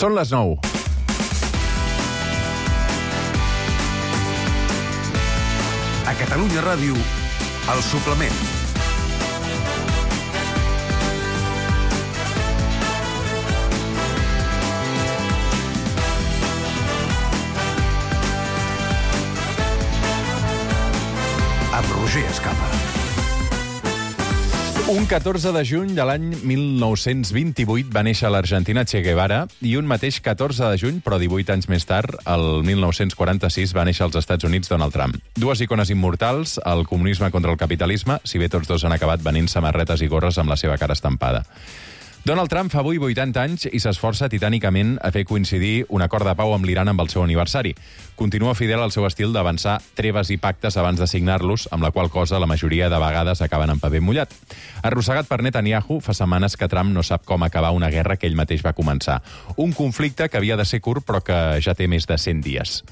Són les 9. A Catalunya Ràdio, El Suplement. Amb Roger Escapa. Un 14 de juny de l'any 1928 va néixer a l'Argentina Che Guevara i un mateix 14 de juny, però 18 anys més tard, el 1946, va néixer als Estats Units Donald Trump. Dues icones immortals, el comunisme contra el capitalisme, si bé tots dos han acabat venint samarretes i gorres amb la seva cara estampada. Donald Trump fa avui 80 anys i s'esforça titànicament a fer coincidir un acord de pau amb l'Iran amb el seu aniversari. Continua fidel al seu estil d'avançar treves i pactes abans de signar-los, amb la qual cosa la majoria de vegades acaben en paper mullat. Arrossegat per Netanyahu, fa setmanes que Trump no sap com acabar una guerra que ell mateix va començar. Un conflicte que havia de ser curt, però que ja té més de 100 dies.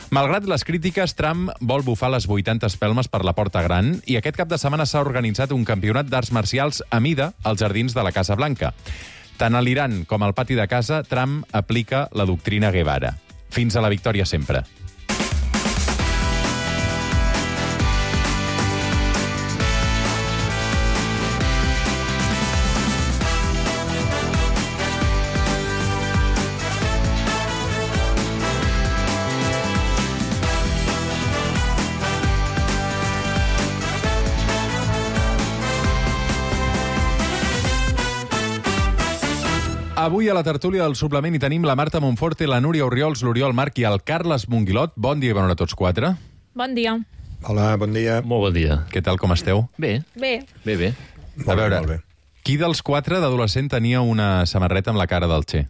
Malgrat les crítiques, Trump vol bufar les 80 espelmes per la Porta Gran i aquest cap de setmana s'ha organitzat un campionat d'arts marcials a mida als jardins de la Casa Blanca. Tant a l'Iran com al pati de casa, Trump aplica la doctrina Guevara. Fins a la victòria sempre. Avui a la tertúlia del suplement hi tenim la Marta Monforte, la Núria Orriols, l'Oriol Marc i el Carles Monguilot. Bon dia i bona hora a tots quatre. Bon dia. Hola, bon dia. Molt bon dia. Què tal, com esteu? Bé. Bé. Bé. A veure, qui dels quatre d'adolescent tenia una samarreta amb la cara del Che?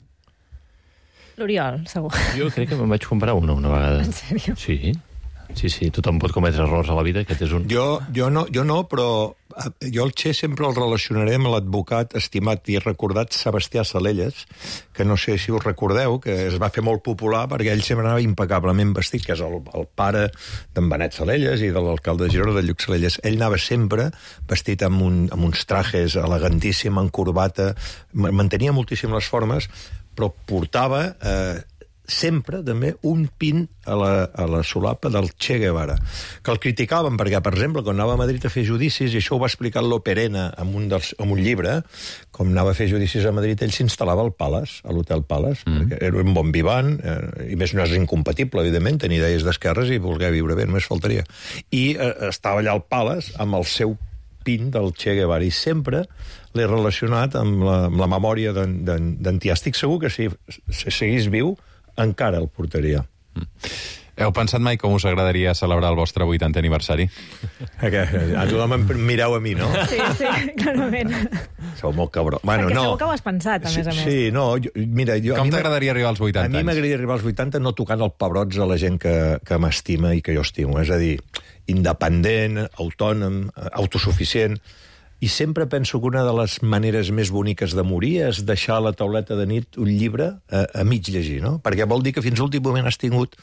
L'Oriol, segur. Jo crec que me'n vaig comprar una vegada. En sèrio? Sí, tothom pot cometre errors a la vida, aquest és un... Jo no, però jo el Che sempre el relacionaré amb l'advocat estimat i recordat Sebastià Salelles, que no sé si us recordeu, que es va fer molt popular perquè ell sempre anava impecablement vestit, que és el pare d'en Benet Salelles i de l'alcalde de Girona, de Lluc Salelles. Ell anava sempre vestit amb uns trajes elegantíssim, en corbata, mantenia moltíssim les formes, però portava... sempre, també, un pin a la solapa del Che Guevara, que el criticaven perquè, per exemple, quan anava a Madrid a fer judicis, i això ho va explicar l'Operena en un llibre, com anava a fer judicis a Madrid, ell s'instal·lava al Palace, a l'Hotel Palace, perquè era un bon vivant, i més no és incompatible, evidentment, tenir idees d'esquerres i voler viure bé, només faltaria. I estava allà al Palace amb el seu pin del Che Guevara, i sempre l'he relacionat amb la memòria d'en Tia. Estic segur que si seguís viu, encara el portaria. Heu pensat mai com us agradaria celebrar el vostre 80è aniversari? A tothom em mireu a mi, no? Sí, clarament. Sou molt cabró. Bueno, perquè segur que ho has pensat, a més a més. Sí, no, mira... Com t'agradaria arribar als 80 anys? A mi m'agradaria arribar als 80 no tocant els pebrots a la gent que m'estima i que jo estimo. És a dir, independent, autònom, autosuficient... I sempre penso que una de les maneres més boniques de morir és deixar a la tauleta de nit un llibre a mig llegir, no? Perquè vol dir que fins a l'últim moment has tingut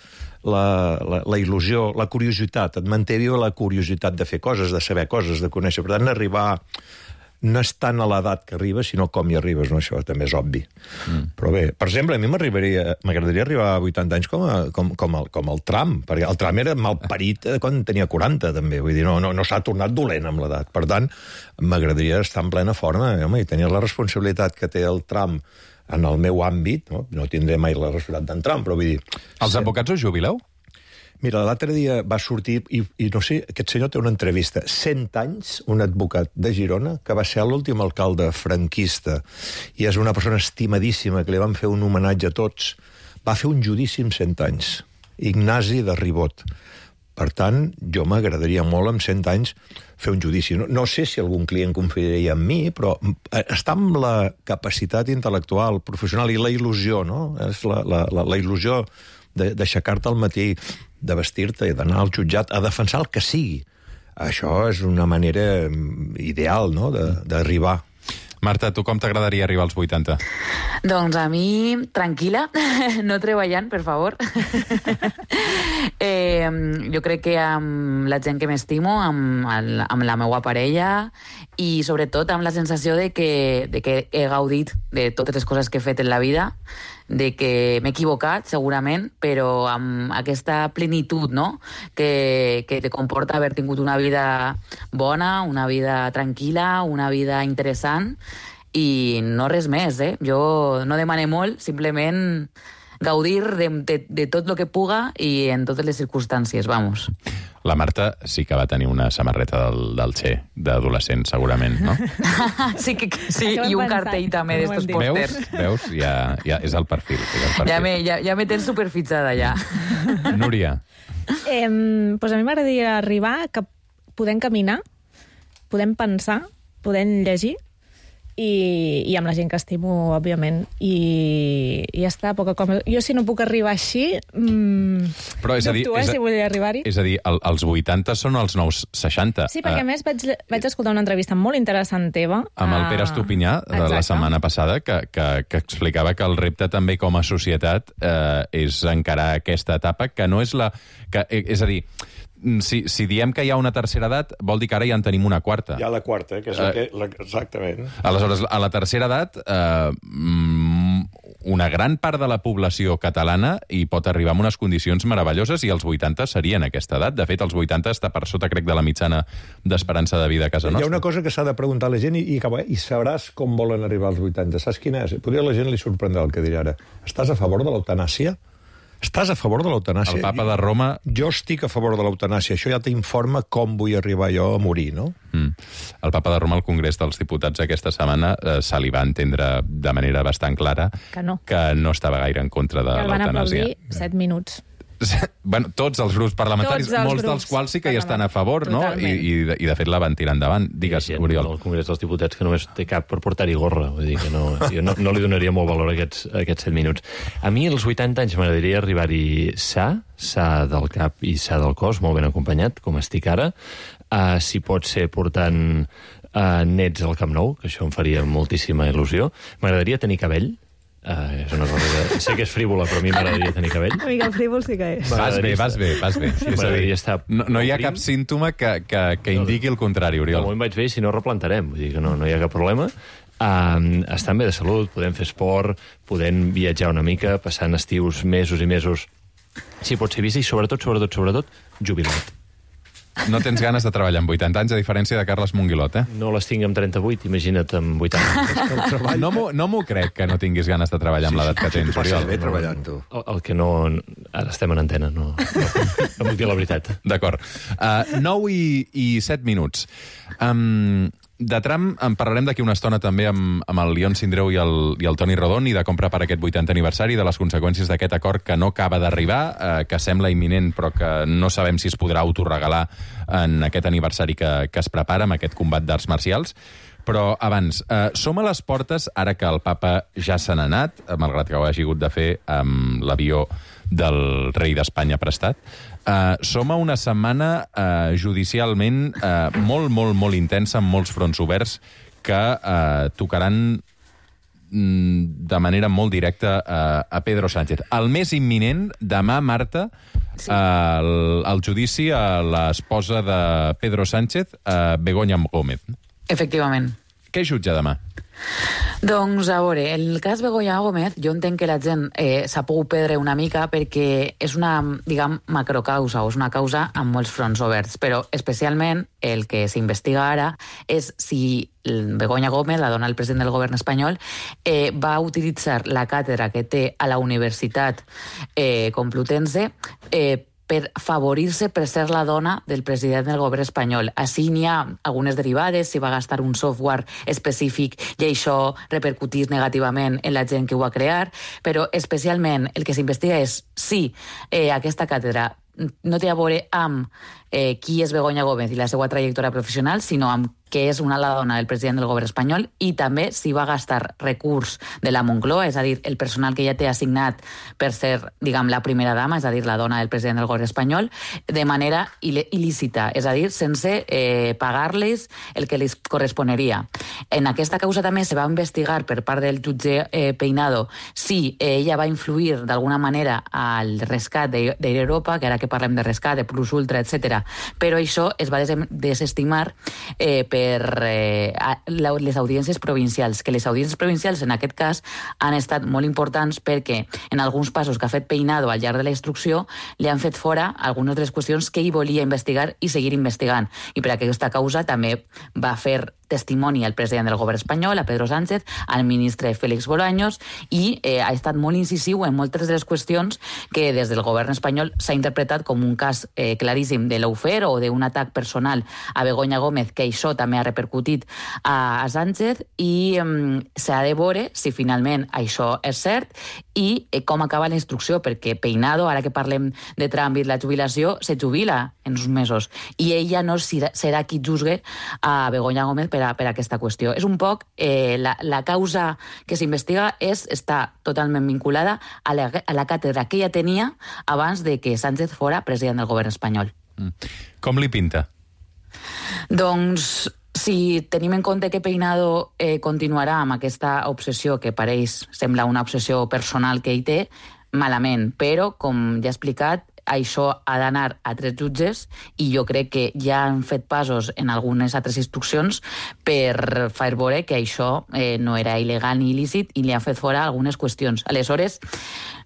la il·lusió, la curiositat. Et manté viva la curiositat de fer coses, de saber coses, de conèixer. Per tant, arribar... No és tant a l'edat que arribes, sinó com hi arribes, no? Això també és obvi. Però bé, per exemple, a mi m'agradaria arribar a 80 anys com el Trump, perquè el Trump era malparit quan tenia 40, també. Vull dir, no s'ha tornat dolent amb l'edat. Per tant, m'agradaria estar en plena forma, home, i tenir la responsabilitat que té el Trump en el meu àmbit, no tindré mai la responsabilitat d'en Trump, però vull dir... Els advocats us jubileu? Mira, l'altre dia va sortir, i no sé, aquest senyor té una entrevista, 100 anys, un advocat de Girona, que va ser l'últim alcalde franquista, i és una persona estimadíssima, que li van fer un homenatge a tots, va fer un judici amb 100 anys, Ignasi de Ribot. Per tant, jo m'agradaria molt, amb 100 anys, fer un judici. No sé si algun client confiaria en mi, però està amb la capacitat intel·lectual, professional, i la il·lusió, no? És la il·lusió d'aixecar-te al matí, de vestir-te i d'anar al jutjat a defensar el que sigui. Això és una manera ideal, no?, d'arribar. Marta, tu com t'agradaria arribar als 80? Doncs a mi, tranquil·la, no treballant, per favor. Jo crec que amb la gent que m'estimo, amb la meva parella i sobretot amb la sensació de que he gaudit de totes les coses que he fet en la vida, de que m'he equivocat, segurament, però amb aquesta plenitud, no?, que te comporta haver tingut una vida bona, una vida tranquil·la, una vida interessant, i no res més, Jo no demane molt, simplement gaudir de tot el que puga i en totes les circumstàncies, vamos. La Marta sí que va tenir una samarreta del Che, d'adolescent, segurament, no? Sí, sí, i un cartell també d'estos pòsters. Veus? Ja és el perfil. Ja me tens superfixada, ja. Núria. Pues a mi m'agradaria arribar que podem caminar, podem pensar, podem llegir, i amb la gent que estimo, òbviament, i ja està, poca cosa. Jo, si no puc arribar així, però és a dir, si vull arribar-hi. És a dir, els 80 són els nous 60. Sí, perquè a més vaig escoltar una entrevista molt interessant teva. Amb el Pere Estupinyà, de la setmana passada, que explicava que el repte també com a societat és encarar aquesta etapa, que no és la... És a dir, si diem que hi ha una tercera edat, vol dir que ara ja en tenim una quarta. Hi ha la quarta, que és exactament. Aleshores, a la tercera edat, una gran part de la població catalana hi pot arribar en unes condicions meravelloses i els 80 serien aquesta edat. De fet, els 80 està per sota, crec, de la mitjana d'esperança de vida a casa nostra. Hi ha una cosa que s'ha de preguntar a la gent i sabràs com volen arribar als 80. Saps quina és? Potser a la gent li sorprendrà el que dirà ara. Estàs a favor de l'eutanàsia? Estàs a favor de l'eutanàsia? El papa de Roma... Jo estic a favor de l'eutanàsia. Això ja t'informa com vull arribar jo a morir, no? El papa de Roma al Congrés dels Diputats aquesta setmana se li va entendre de manera bastant clara que no estava gaire en contra de l'eutanàsia. El van aplaudir 7 minuts. Bueno, tots els grups parlamentaris, molts dels quals sí que hi estan a favor, no? I de fet la van tirar endavant. Digues, Oriol. El Congrés dels Diputats que només té cap per portar-hi gorra. Vull dir que jo no li donaria molt valor a aquests 7 minuts. A mi, als 80 anys, m'agradaria arribar-hi sa del cap i sa del cos, molt ben acompanyat, com estic ara. Si pot ser portant nets al Camp Nou, que això em faria moltíssima il·lusió. M'agradaria tenir cabell. És una cosa que sé que és frívola, però a mi m'agradaria tenir cabell. Una mica frívol sí que és. Vas bé. Sí, m'agradaria estar... No hi ha cap símptoma que indiqui el contrari, Oriol. De moment vaig bé, si no replantarem. Vull dir que no hi ha cap problema. Estan bé de salut, podem fer esport, podem viatjar una mica, passant estius mesos i mesos, si pot ser vist, i sobretot, jubilat. No tens ganes de treballar amb 80 anys, a diferència de Carles Monguilot, No les tinc amb 38, imagina't amb 80 anys. No m'ho crec que no tinguis ganes de treballar amb l'edat que tens, Oriol. Bé treballant, tu. El que no... Ara estem en antena, no puc dir la veritat. D'acord. 9 i 7 minuts. De Trump en parlarem d'aquí una estona també amb el Leon Sindreu i el Toni Rodon, i de com preparar aquest 80 aniversari, de les conseqüències d'aquest acord que no acaba d'arribar, que sembla imminent però que no sabem si es podrà autoregalar en aquest aniversari que es prepara, amb aquest combat d'arts marcials. Però abans, som a les portes, ara que el papa ja se n'ha anat, malgrat que ho hagi hagut de fer amb l'avió del rei d'Espanya prestat, som a una setmana judicialment molt intensa, amb molts fronts oberts, que tocaran de manera molt directa a Pedro Sánchez. El més imminent, demà, Marta, el judici a l'esposa de Pedro Sánchez, Begoña Gómez. Efectivament. Què jutja demà? Doncs, a veure, el cas Begoña Gómez, jo entenc que la gent s'ha pogut perdre una mica perquè és una, diguem, macrocausa, o és una causa amb molts fronts oberts, però especialment el que s'investiga ara és si Begoña Gómez, la dona del president del govern espanyol, va utilitzar la càtedra que té a la Universitat Complutense per favorir-se per ser la dona del president del govern espanyol. Així n'hi ha algunes derivades, si va gastar un software específic i això repercutir negativament en la gent que ho va crear, però especialment el que s'investiga és si aquesta càtedra no té a veure amb qui és Begoña Gómez i la seva trajectòria professional, sinó amb que és la dona del president del govern espanyol, i també si va gastar recurs de la Moncloa, és a dir, el personal que ja té assignat per ser, diguem, la primera dama, és a dir, la dona del president del govern espanyol, de manera il·lícita, és a dir, sense pagar-les el que les corresponeria. En aquesta causa també se va investigar per part del jutge Peinado si ella va influir d'alguna manera al rescat d'Air Europa, que ara que parlem de rescat, de Plus Ultra, etc. Però això es va desestimar per les audiències provincials, que les audiències provincials en aquest cas han estat molt importants perquè en alguns passos que ha fet Peinado al llarg de la instrucció li han fet fora algunes de les qüestions que ell volia investigar i seguir investigant. I per aquesta causa també va fer testimoni al president del govern espanyol, a Pedro Sánchez, al ministre Félix Bolaños, i ha estat molt incisiu en moltes de les qüestions que des del govern espanyol s'ha interpretat com un cas claríssim de lawfare o d'un atac personal a Begoña Gómez, que això també ha repercutit a Sánchez, i s'ha de veure si finalment això és cert i com acaba la instrucció, perquè Peinado, ara que parlem de tràmit la jubilació, se jubila en uns mesos, i ella no serà qui juzgue a Begoña Gómez per aquesta qüestió. És un poc la causa que s'investiga està totalment vinculada a la càtedra que ella tenia abans de que Sánchez fora president del govern espanyol. Com li pinta? Doncs, si tenim en compte que Peinado continuarà amb aquesta obsessió, que per ells sembla una obsessió personal que ell té, malament, però, com ja he explicat, això ha d'anar a 3 jutges i jo crec que ja han fet passos en algunes altres instruccions per fer veure que això no era il·legal ni il·lícit i li han fet fora algunes qüestions. Aleshores,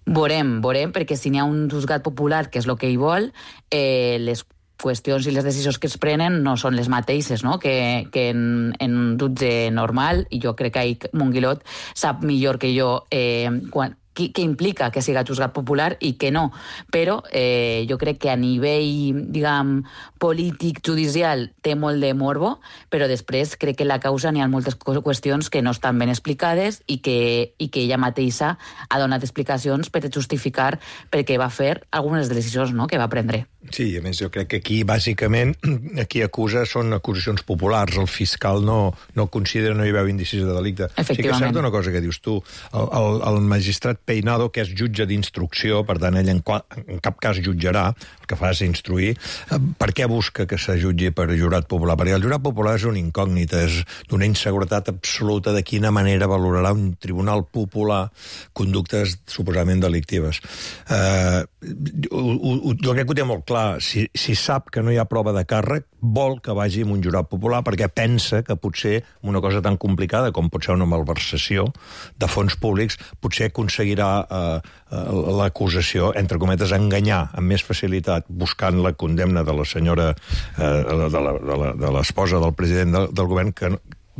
veurem, perquè si n'hi ha un juzgat popular, que és el que ell vol, les qüestions i les decisions que es prenen no són les mateixes, no? que en un jutge normal, i jo crec que Monguilot sap millor que jo què implica que siga juzgat popular i que no. Però jo crec que a nivell, diguem, polític, judicial, té molt de morbo, però després crec que en la causa n'hi ha moltes qüestions que no estan ben explicades i que ella mateixa ha donat explicacions per justificar per què va fer algunes decisions, no?, que va prendre. Sí, a més, jo crec que aquí, bàsicament, qui acusa són acusacions populars. El fiscal no considera, no hi veu indicis de delicte. Sí que és certa una cosa que dius tu. El magistrat Peinado, que és jutge d'instrucció, per tant, ell en cap cas jutjarà, el que fa és instruir. Per què busca que se jutgi per jurat popular? Perquè el jurat popular és una incògnita, és d'una inseguretat absoluta de quina manera valorarà un tribunal popular conductes suposadament delictives. Jo crec que ho té molt clar. Si sap que no hi ha prova de càrrec, vol que vagi amb un jurat popular perquè pensa que potser una cosa tan complicada com pot ser una malversació de fons públics potser aconseguirà l'acusació, entre cometes, enganyar amb més facilitat buscant la condemna de la senyora, de l'esposa del president del govern, que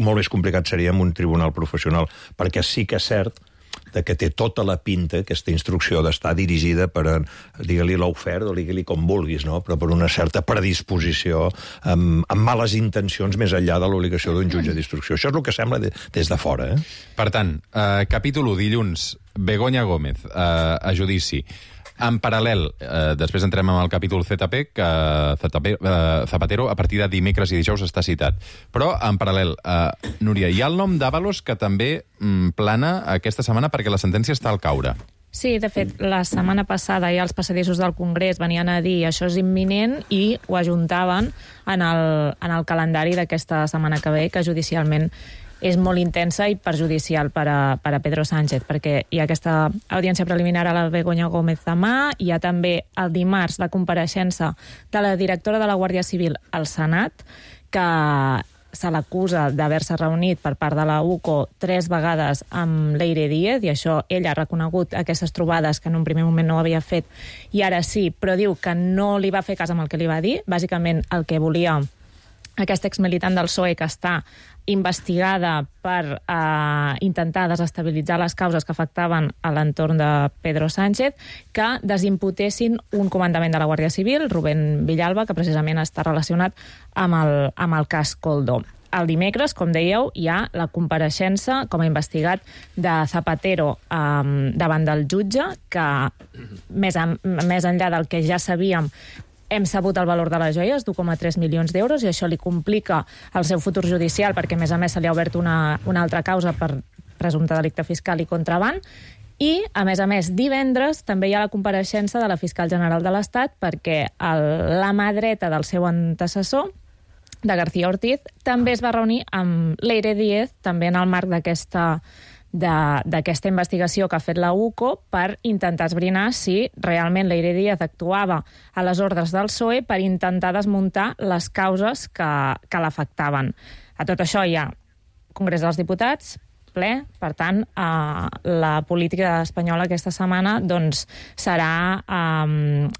molt més complicat seria amb un tribunal professional, perquè sí que és cert que té tota la pinta, aquesta instrucció, d'estar dirigida per, digue-li lawfare o digue-li com vulguis, no? Però per una certa predisposició, amb males intencions més enllà de l'obligació d'un jutge d'instrucció. Això és el que sembla des de fora. Per tant, capítol 1, dilluns, Begoña Gómez, a judici. En paral·lel, després entrem en el capítol ZP, que Zapatero a partir de dimecres i dijous està citat. Però, en paral·lel, Núria, hi ha el nom d'Ábalos que també plana aquesta setmana perquè la sentència està al caure. Sí, de fet, la setmana passada ja els passadissos del Congrés venien a dir això és imminent i ho ajuntaven en el calendari d'aquesta setmana que ve, que judicialment és molt intensa i perjudicial per a Pedro Sánchez, perquè hi ha aquesta audiència preliminar a la Begoña Gómez demà, hi ha també el dimarts la compareixença de la directora de la Guàrdia Civil al Senat, que se l'acusa d'haver-se reunit per part de la UCO 3 vegades amb Leire Díez, i això ell ha reconegut aquestes trobades que en un primer moment no havia fet, i ara sí, però diu que no li va fer cas amb el que li va dir. Bàsicament el que volia aquest exmilitant del PSOE, que està investigada per intentar desestabilitzar les causes que afectaven a l'entorn de Pedro Sánchez, que desimputessin un comandament de la Guàrdia Civil, Rubén Villalba, que precisament està relacionat amb el cas Koldo. El dimecres, com dèieu, hi ha la compareixença com a investigat de Zapatero davant del jutge, que més enllà del que ja sabíem, hem sabut el valor de les joies, d'1,3 milions d'euros, i això li complica el seu futur judicial, perquè, a més, se li ha obert una altra causa per presumpte delicte fiscal i contraban. I, a més, divendres també hi ha la compareixença de la fiscal general de l'Estat, perquè la mà dreta del seu antecessor, de García Ortiz, també es va reunir amb Leire Díez, també en el marc d'aquesta investigació que ha fet la UCO, per intentar esbrinar si realment Leire Díez actuava a les ordres del PSOE per intentar desmuntar les causes que l'afectaven. A tot això hi ha Congrés dels Diputats, ple, per tant, la política espanyola aquesta setmana doncs, serà,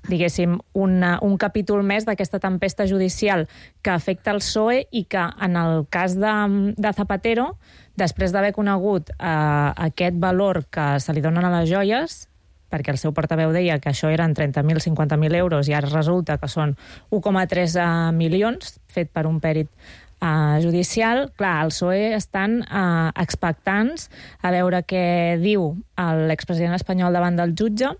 diguéssim, un capítol més d'aquesta tempesta judicial que afecta el PSOE i que, en el cas de Zapatero, després d'haver conegut aquest valor que se li donen a les joies, perquè el seu portaveu deia que això eren 30.000, 50.000 euros i ara resulta que són 1,3 milions, fet per un pèrit judicial, clar, el PSOE estan expectants a veure què diu l'expresident espanyol davant del jutge.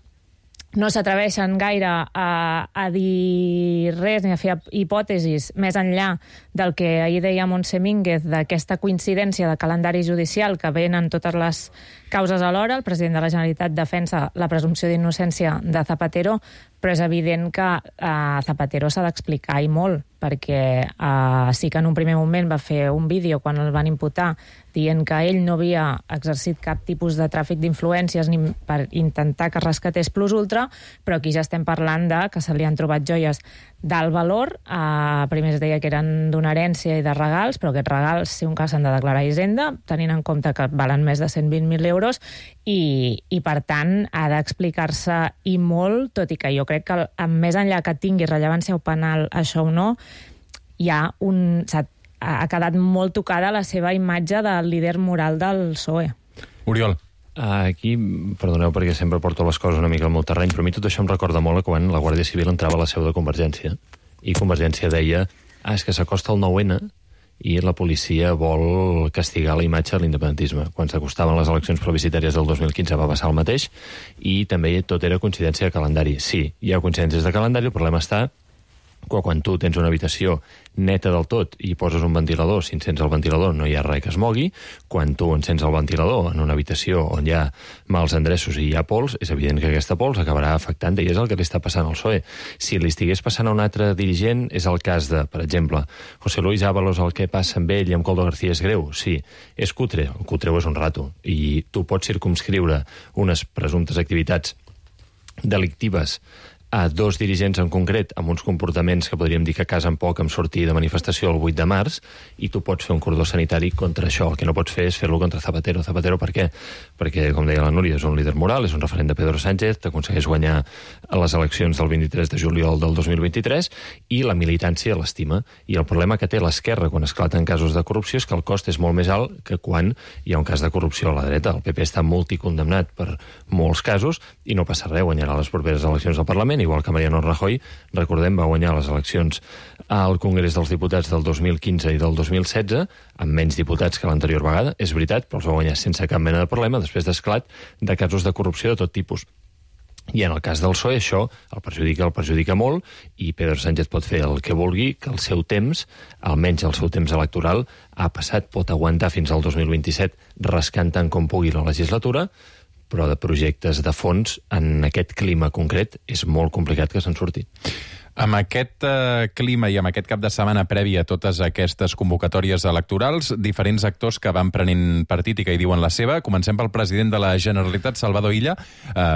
No s'atreveixen gaire a dir res ni a fer hipòtesis més enllà del que ahir deia Montse Mínguez, d'aquesta coincidència de calendari judicial que venen totes les causes alhora. El president de la Generalitat defensa la presumpció d'innocència de Zapatero, però és evident que Zapatero s'ha d'explicar i molt, perquè sí que en un primer moment va fer un vídeo quan el van imputar dient que ell no havia exercit cap tipus de tràfic d'influències ni per intentar que rescatés Plus Ultra, però aquí ja estem parlant de que se li han trobat joies d'alt valor. Primer es deia que eren d'una herència i de regals, però aquests regals, si un cas, s'han de declarar a Hisenda, tenint en compte que valen més de 120.000 euros, i per tant ha d'explicar-se i molt, tot i que jo crec que més enllà que tingui rellevància o penal això o no, ha quedat molt tocada la seva imatge del líder moral del PSOE. Oriol. Aquí, perdoneu perquè sempre porto les coses una mica al meu terreny, però a mi tot això em recorda molt quan la Guàrdia Civil entrava a la seu de Convergència i Convergència deia és que s'acosta el 9-N i la policia vol castigar la imatge de l'independentisme. Quan s'acostaven les eleccions plebiscitàries del 2015 va passar el mateix i també tot era coincidència de calendari. Sí, hi ha coincidències de calendari, el problema està que quan tu tens una habitació neta del tot i poses un ventilador, si encens el ventilador no hi ha res que es mogui, quan tu encens el ventilador en una habitació on hi ha mals endreços i hi ha pols, és evident que aquesta pols acabarà afectant, i és el que li està passant al PSOE. Si li estigués passant a un altre dirigent, és el cas de, per exemple, José Luis Ábalos, el que passa amb ell i amb Coldo García és greu, sí, és cutre, el cutreu és un rato, i tu pots circumscriure unes presumptes activitats delictives a dos dirigents en concret amb uns comportaments que podríem dir que casen poc amb sortir de manifestació el 8 de març i tu pots fer un cordó sanitari contra això. El que no pots fer és fer-lo contra Zapatero. Zapatero per què? Perquè, com deia la Núria, és un líder moral, és un referent de Pedro Sánchez, t'aconsegueix guanyar a les eleccions del 23 de juliol del 2023 i la militància l'estima. I el problema que té l'esquerra quan esclaten casos de corrupció és que el cost és molt més alt que quan hi ha un cas de corrupció a la dreta. El PP està multicondemnat per molts casos i no passa res, guanyarà les properes eleccions al Parlament, igual que Mariano Rajoy, recordem, va guanyar les eleccions al Congrés dels Diputats del 2015 i del 2016, amb menys diputats que l'anterior vegada, és veritat, però els va guanyar sense cap mena de problema, després d'esclat de casos de corrupció de tot tipus. I en el cas del PSOE això el perjudica molt, i Pedro Sánchez pot fer el que vulgui, que el seu temps, almenys el seu temps electoral, ha passat, pot aguantar fins al 2027 rascant tant com pugui la legislatura, però de projectes de fons en aquest clima concret és molt complicat que se'n surti. Amb aquest clima i amb aquest cap de setmana previ a totes aquestes convocatòries electorals, diferents actors que van prenent partit i que hi diuen la seva. Comencem pel president de la Generalitat, Salvador Illa,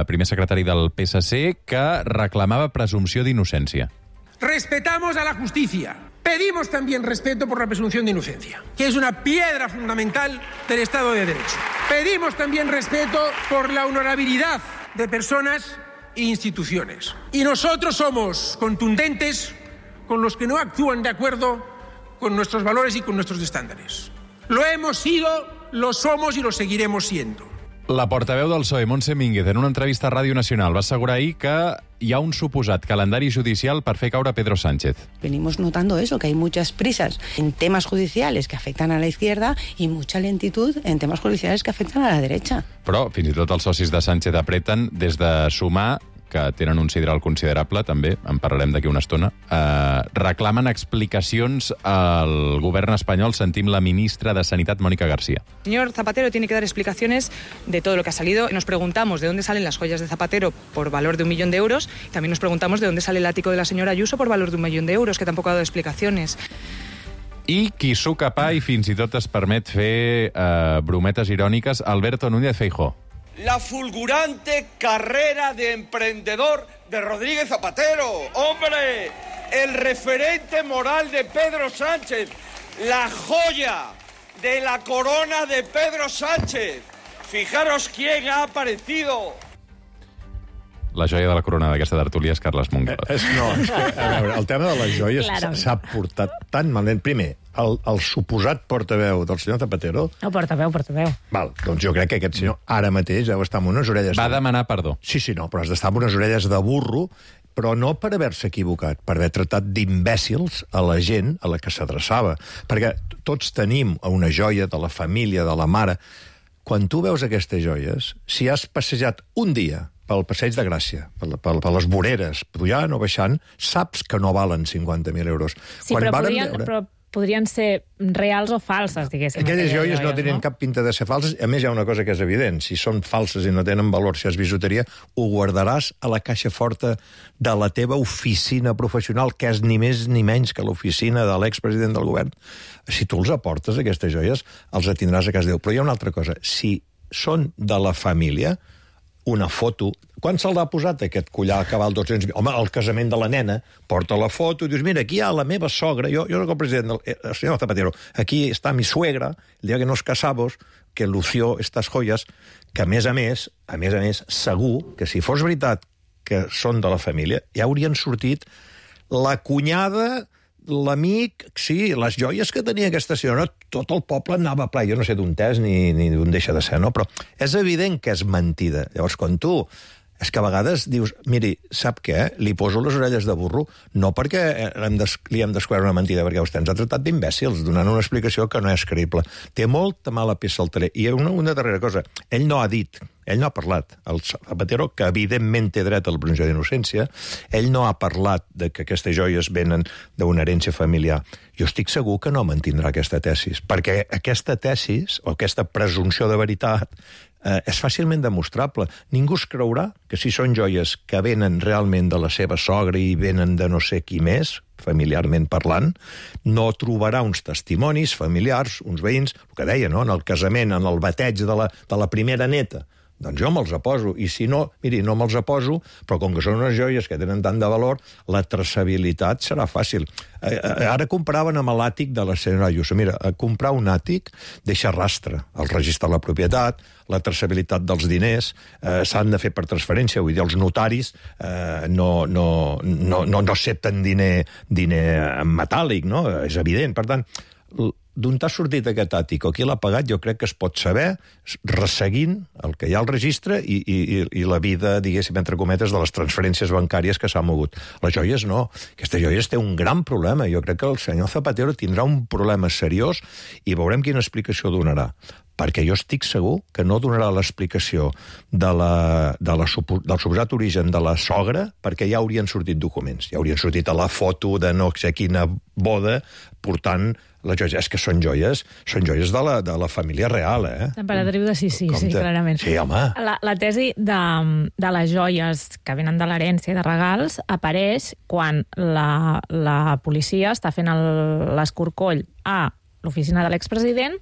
primer secretari del PSC, que reclamava presumpció d'innocència. Respetamos a la justicia. Pedimos también respeto por la presunción de inocencia, que es una piedra fundamental del Estado de Derecho. Pedimos también respeto por la honorabilidad de personas e instituciones. Y nosotros somos contundentes con los que no actúan de acuerdo con nuestros valores y con nuestros estándares. Lo hemos sido, lo somos y lo seguiremos siendo. La portaveu del PSOE, Montse Mínguez, en una entrevista a Ràdio Nacional va assegurar ahir que hi ha un suposat calendari judicial per fer caure Pedro Sánchez. Venimos notando eso, que hay muchas prisas en temas judiciales que afectan a la izquierda y mucha lentitud en temas judiciales que afectan a la derecha. Però fins i tot els socis de Sánchez apreten des de sumar que tenen un sidral considerable, també, en parlarem d'aquí una estona, reclamen explicacions al govern espanyol. Sentim la ministra de Sanitat, Mónica García. El señor Zapatero tiene que dar explicaciones de todo lo que ha salido. Nos preguntamos de dónde salen las joyas de Zapatero por valor de 1 millón de euros. También nos preguntamos de dónde sale el ático de la señora Ayuso por valor de 1 millón de euros, que tampoco ha dado explicaciones. I qui s'ho capà i fins i tot es permet fer brometes iròniques, Alberto Núñez Feijóo. La fulgurante carrera de emprendedor de Rodríguez Zapatero. ¡Hombre! El referente moral de Pedro Sánchez. La joya de la corona de Pedro Sánchez. Fijaros quién ha aparecido. La joia de la corona d'aquesta tertúlia és Carles Mongal. No, a veure, el tema de les joies s'ha portat tan malament. Primer, el suposat portaveu del senyor Zapatero... No, portaveu. Val, doncs jo crec que aquest senyor ara mateix deu estar amb unes orelles... Va demanar perdó. Sí, no, però has d'estar amb unes orelles de burro, però no per haver-se equivocat, per haver tractat d'imbècils a la gent a la que s'adreçava. Perquè tots tenim una joia de la família, de la mare. Quan tu veus aquestes joies, si has passejat un dia pel Passeig de Gràcia, per les voreres, pujant o baixant, saps que no valen 50.000 euros. Sí, però podrien ser reals o falses, diguéssim. Aquelles joies no tenen cap pinta de ser falses. A més, hi ha una cosa que és evident. Si són falses i no tenen valor, si és bisuteria, ho guardaràs a la caixa forta de la teva oficina professional, que és ni més ni menys que l'oficina de l'expresident del govern. Si tu els aportes, aquestes joies, els tindràs a casa Déu. Però hi ha una altra cosa. Si són de la família, una foto... Quan se'l ha posat, aquest collar que val 200.000? Home, al casament de la nena, porta la foto i dius, mira, aquí hi ha la meva sogra, jo soc el president del senyor Zapatero, aquí està mi suegra, el dia que nos casamos, que lució estas joyas, que a més a més, segur que si fos veritat que són de la família, ja haurien sortit la cunyada, l'amic, sí, les joies que tenia aquesta senyora, tot el poble anava ple. Jo no sé d'on és ni d'on deixa de ser, no? Però és evident que és mentida. Llavors, quan tu... És que a vegades dius, miri, sap què? Li poso les orelles de burro, no perquè li hem descobert una mentida, perquè vostè ens ha tratat d'imbècils, donant una explicació que no és creïble. Té molta mala peça al teler. I una darrera cosa, ell no ha dit, ell no ha parlat, el Zapatero, que evidentment té dret a la presumpció d'innocència, ell no ha parlat de que aquestes joies venen d'una herència familiar. Jo estic segur que no mantindrà aquesta tesis, perquè aquesta tesis, o aquesta presumpció de veritat, és fàcilment demostrable. Ningú es creurà que si són joies que venen realment de la seva sogra i venen de no sé qui més, familiarment parlant, no trobarà uns testimonis familiars, uns veïns, el que deia, no?, en el casament, en el bateig de la primera neta. Doncs jo me'ls aposo, i si no, miri, no me'ls aposo, però com que són unes joies que tenen tant de valor, la traçabilitat serà fàcil. Ara comparaven amb l'àtic de la senyora Ayuso. Mira, comprar un àtic deixa rastre, el registre de la propietat, la traçabilitat dels diners, s'han de fer per transferència, vull dir, els notaris no accepten diner metàl·lic, no? És evident, per tant... D'on t'ha sortit aquest àtic o qui l'ha pagat, jo crec que es pot saber resseguint el que hi ha al registre i la vida, diguéssim, entre cometes, de les transferències bancàries que s'han mogut. Les joies no. Aquestes joies té un gran problema. Jo crec que el senyor Zapatero tindrà un problema seriós i veurem quina explicació donarà. Perquè jo estic segur que no donarà l'explicació del suposat origen de la sogra, perquè ja haurien sortit documents. Ja haurien sortit a la foto de no sé quina boda portant les joies. És que són joies de la família real, eh? L'emperadriu de Sissi, sí, clarament. Sí, home. La tesi de les joies que venen de l'herència i de regals apareix quan la policia està fent l'escorcoll a l'oficina de l'expresident,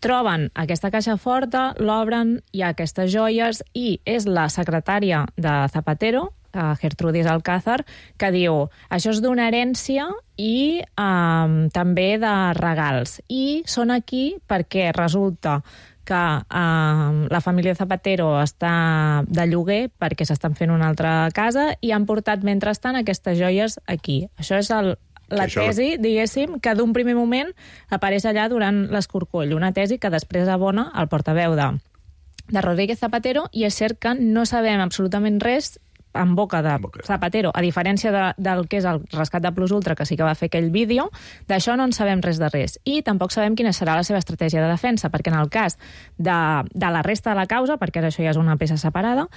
troben aquesta caixa forta, l'obren, hi ha aquestes joies i és la secretària de Zapatero, Gertrudis Alcázar, que diu això és d'una herència i també de regals. I són aquí perquè resulta que la família Zapatero està de lloguer perquè s'estan fent una altra casa i han portat, mentrestant, aquestes joies aquí. Això és la tesi, diguéssim, que d'un primer moment apareix allà durant l'escorcoll. Una tesi que després abona el portaveu de Rodríguez Zapatero, i és cert que no sabem absolutament res en boca de Zapatero, a diferència del que és el rescat de Plus Ultra, que sí que va fer aquell vídeo, d'això no en sabem res de res. I tampoc sabem quina serà la seva estratègia de defensa, perquè en el cas de la resta de la causa, perquè ara això ja és una peça separada,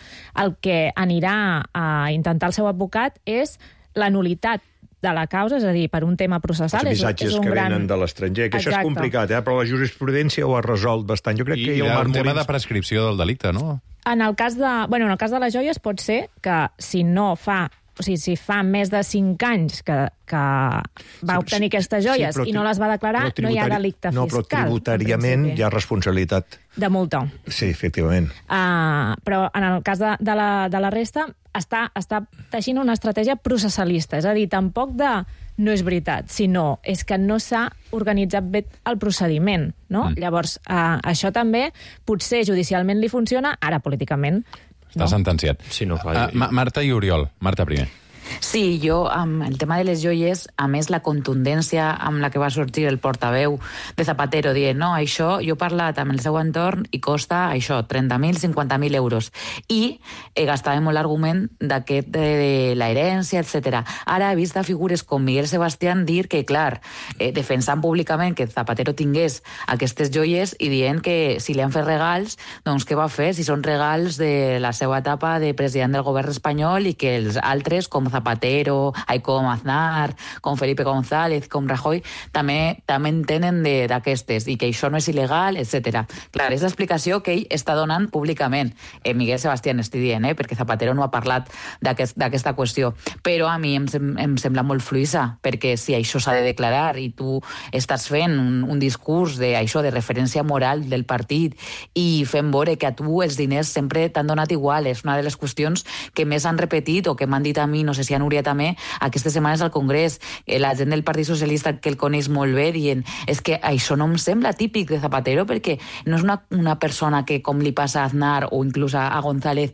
el que anirà a intentar el seu advocat és la nulitat de la causa, és a dir, per un tema processal. Els missatges que venen de l'estranger, que això és complicat, però la jurisprudència ho ha resolt bastant. Jo crec que hi ha un tema de prescripció del delicte, no? En el cas de les joies pot ser que si no fa... O sigui, si fa més de 5 anys que va obtenir aquestes joies i no les va declarar, no hi ha delicte fiscal. No, però tributàriament hi ha responsabilitat. De multa. Sí, efectivament. Però en el cas de la resta està teixint una estratègia processalista, és a dir, tampoc no és veritat, sinó és que no s'ha organitzat bé el procediment, no? Llavors, això també potser judicialment li funciona, ara políticament està sentenciat. Sí, no, clar. Marta i Oriol. Marta primer. Sí, jo, amb el tema de les joies, a més, la contundència amb la que va sortir el portaveu de Zapatero dient, no, això, jo he parlat amb el seu entorn i costa això, 30.000, 50.000 euros. I gastàvem molt l'argument d'aquest de la herència, etc. Ara he vist figures com Miguel Sebastián dir que, clar, defensant públicament que Zapatero tingués aquestes joies i dient que si li han fet regals, doncs què va fer? Si són regals de la seva etapa de president del govern espanyol i que els altres, com Zapatero, com Aznar, com Felipe González, com Rajoy, també en tenen d'aquestes i que això no és il·legal, etc. Clar, és l'explicació que ell està donant públicament. Miguel Sebastián estic dient, perquè Zapatero no ha parlat d'aquesta qüestió. Però a mi em sembla molt fluïssa, perquè si això s'ha de declarar i tu estàs fent un discurs de referència moral del partit i fent veure que a tu els diners sempre t'han donat igual, és una de les qüestions que més han repetit o que m'han dit a mi, no sé si a Núria també, aquestes setmanes al Congrés, la gent del Partit Socialista que el coneix molt bé dient, és que això no em sembla típic de Zapatero perquè no és una persona que, com li passa a Aznar o inclús a González,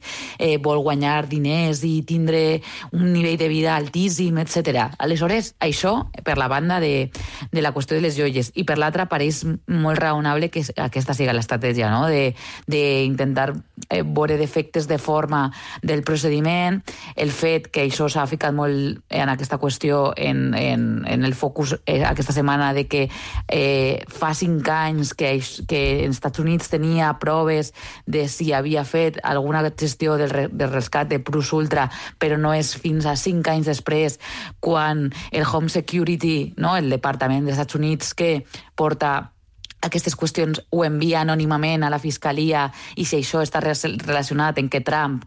vol guanyar diners i tindre un nivell de vida altíssim, etc. Aleshores, això per la banda de la qüestió de les joies i per l'altra pareix molt raonable que aquesta sigui l'estratègia, no? D'intentar veure defectes de forma del procediment, el fet que això s'ha ficat molt en aquesta qüestió en el focus aquesta setmana de que fa 5 anys que els Estats Units tenia proves de si havia fet alguna gestió del rescat de Plus Ultra, però no és fins a 5 anys després quan el Home Security, no, el Departament dels Estats Units que porta aquestes qüestions ho envia anònimament a la Fiscalia i si això està relacionat en que Trump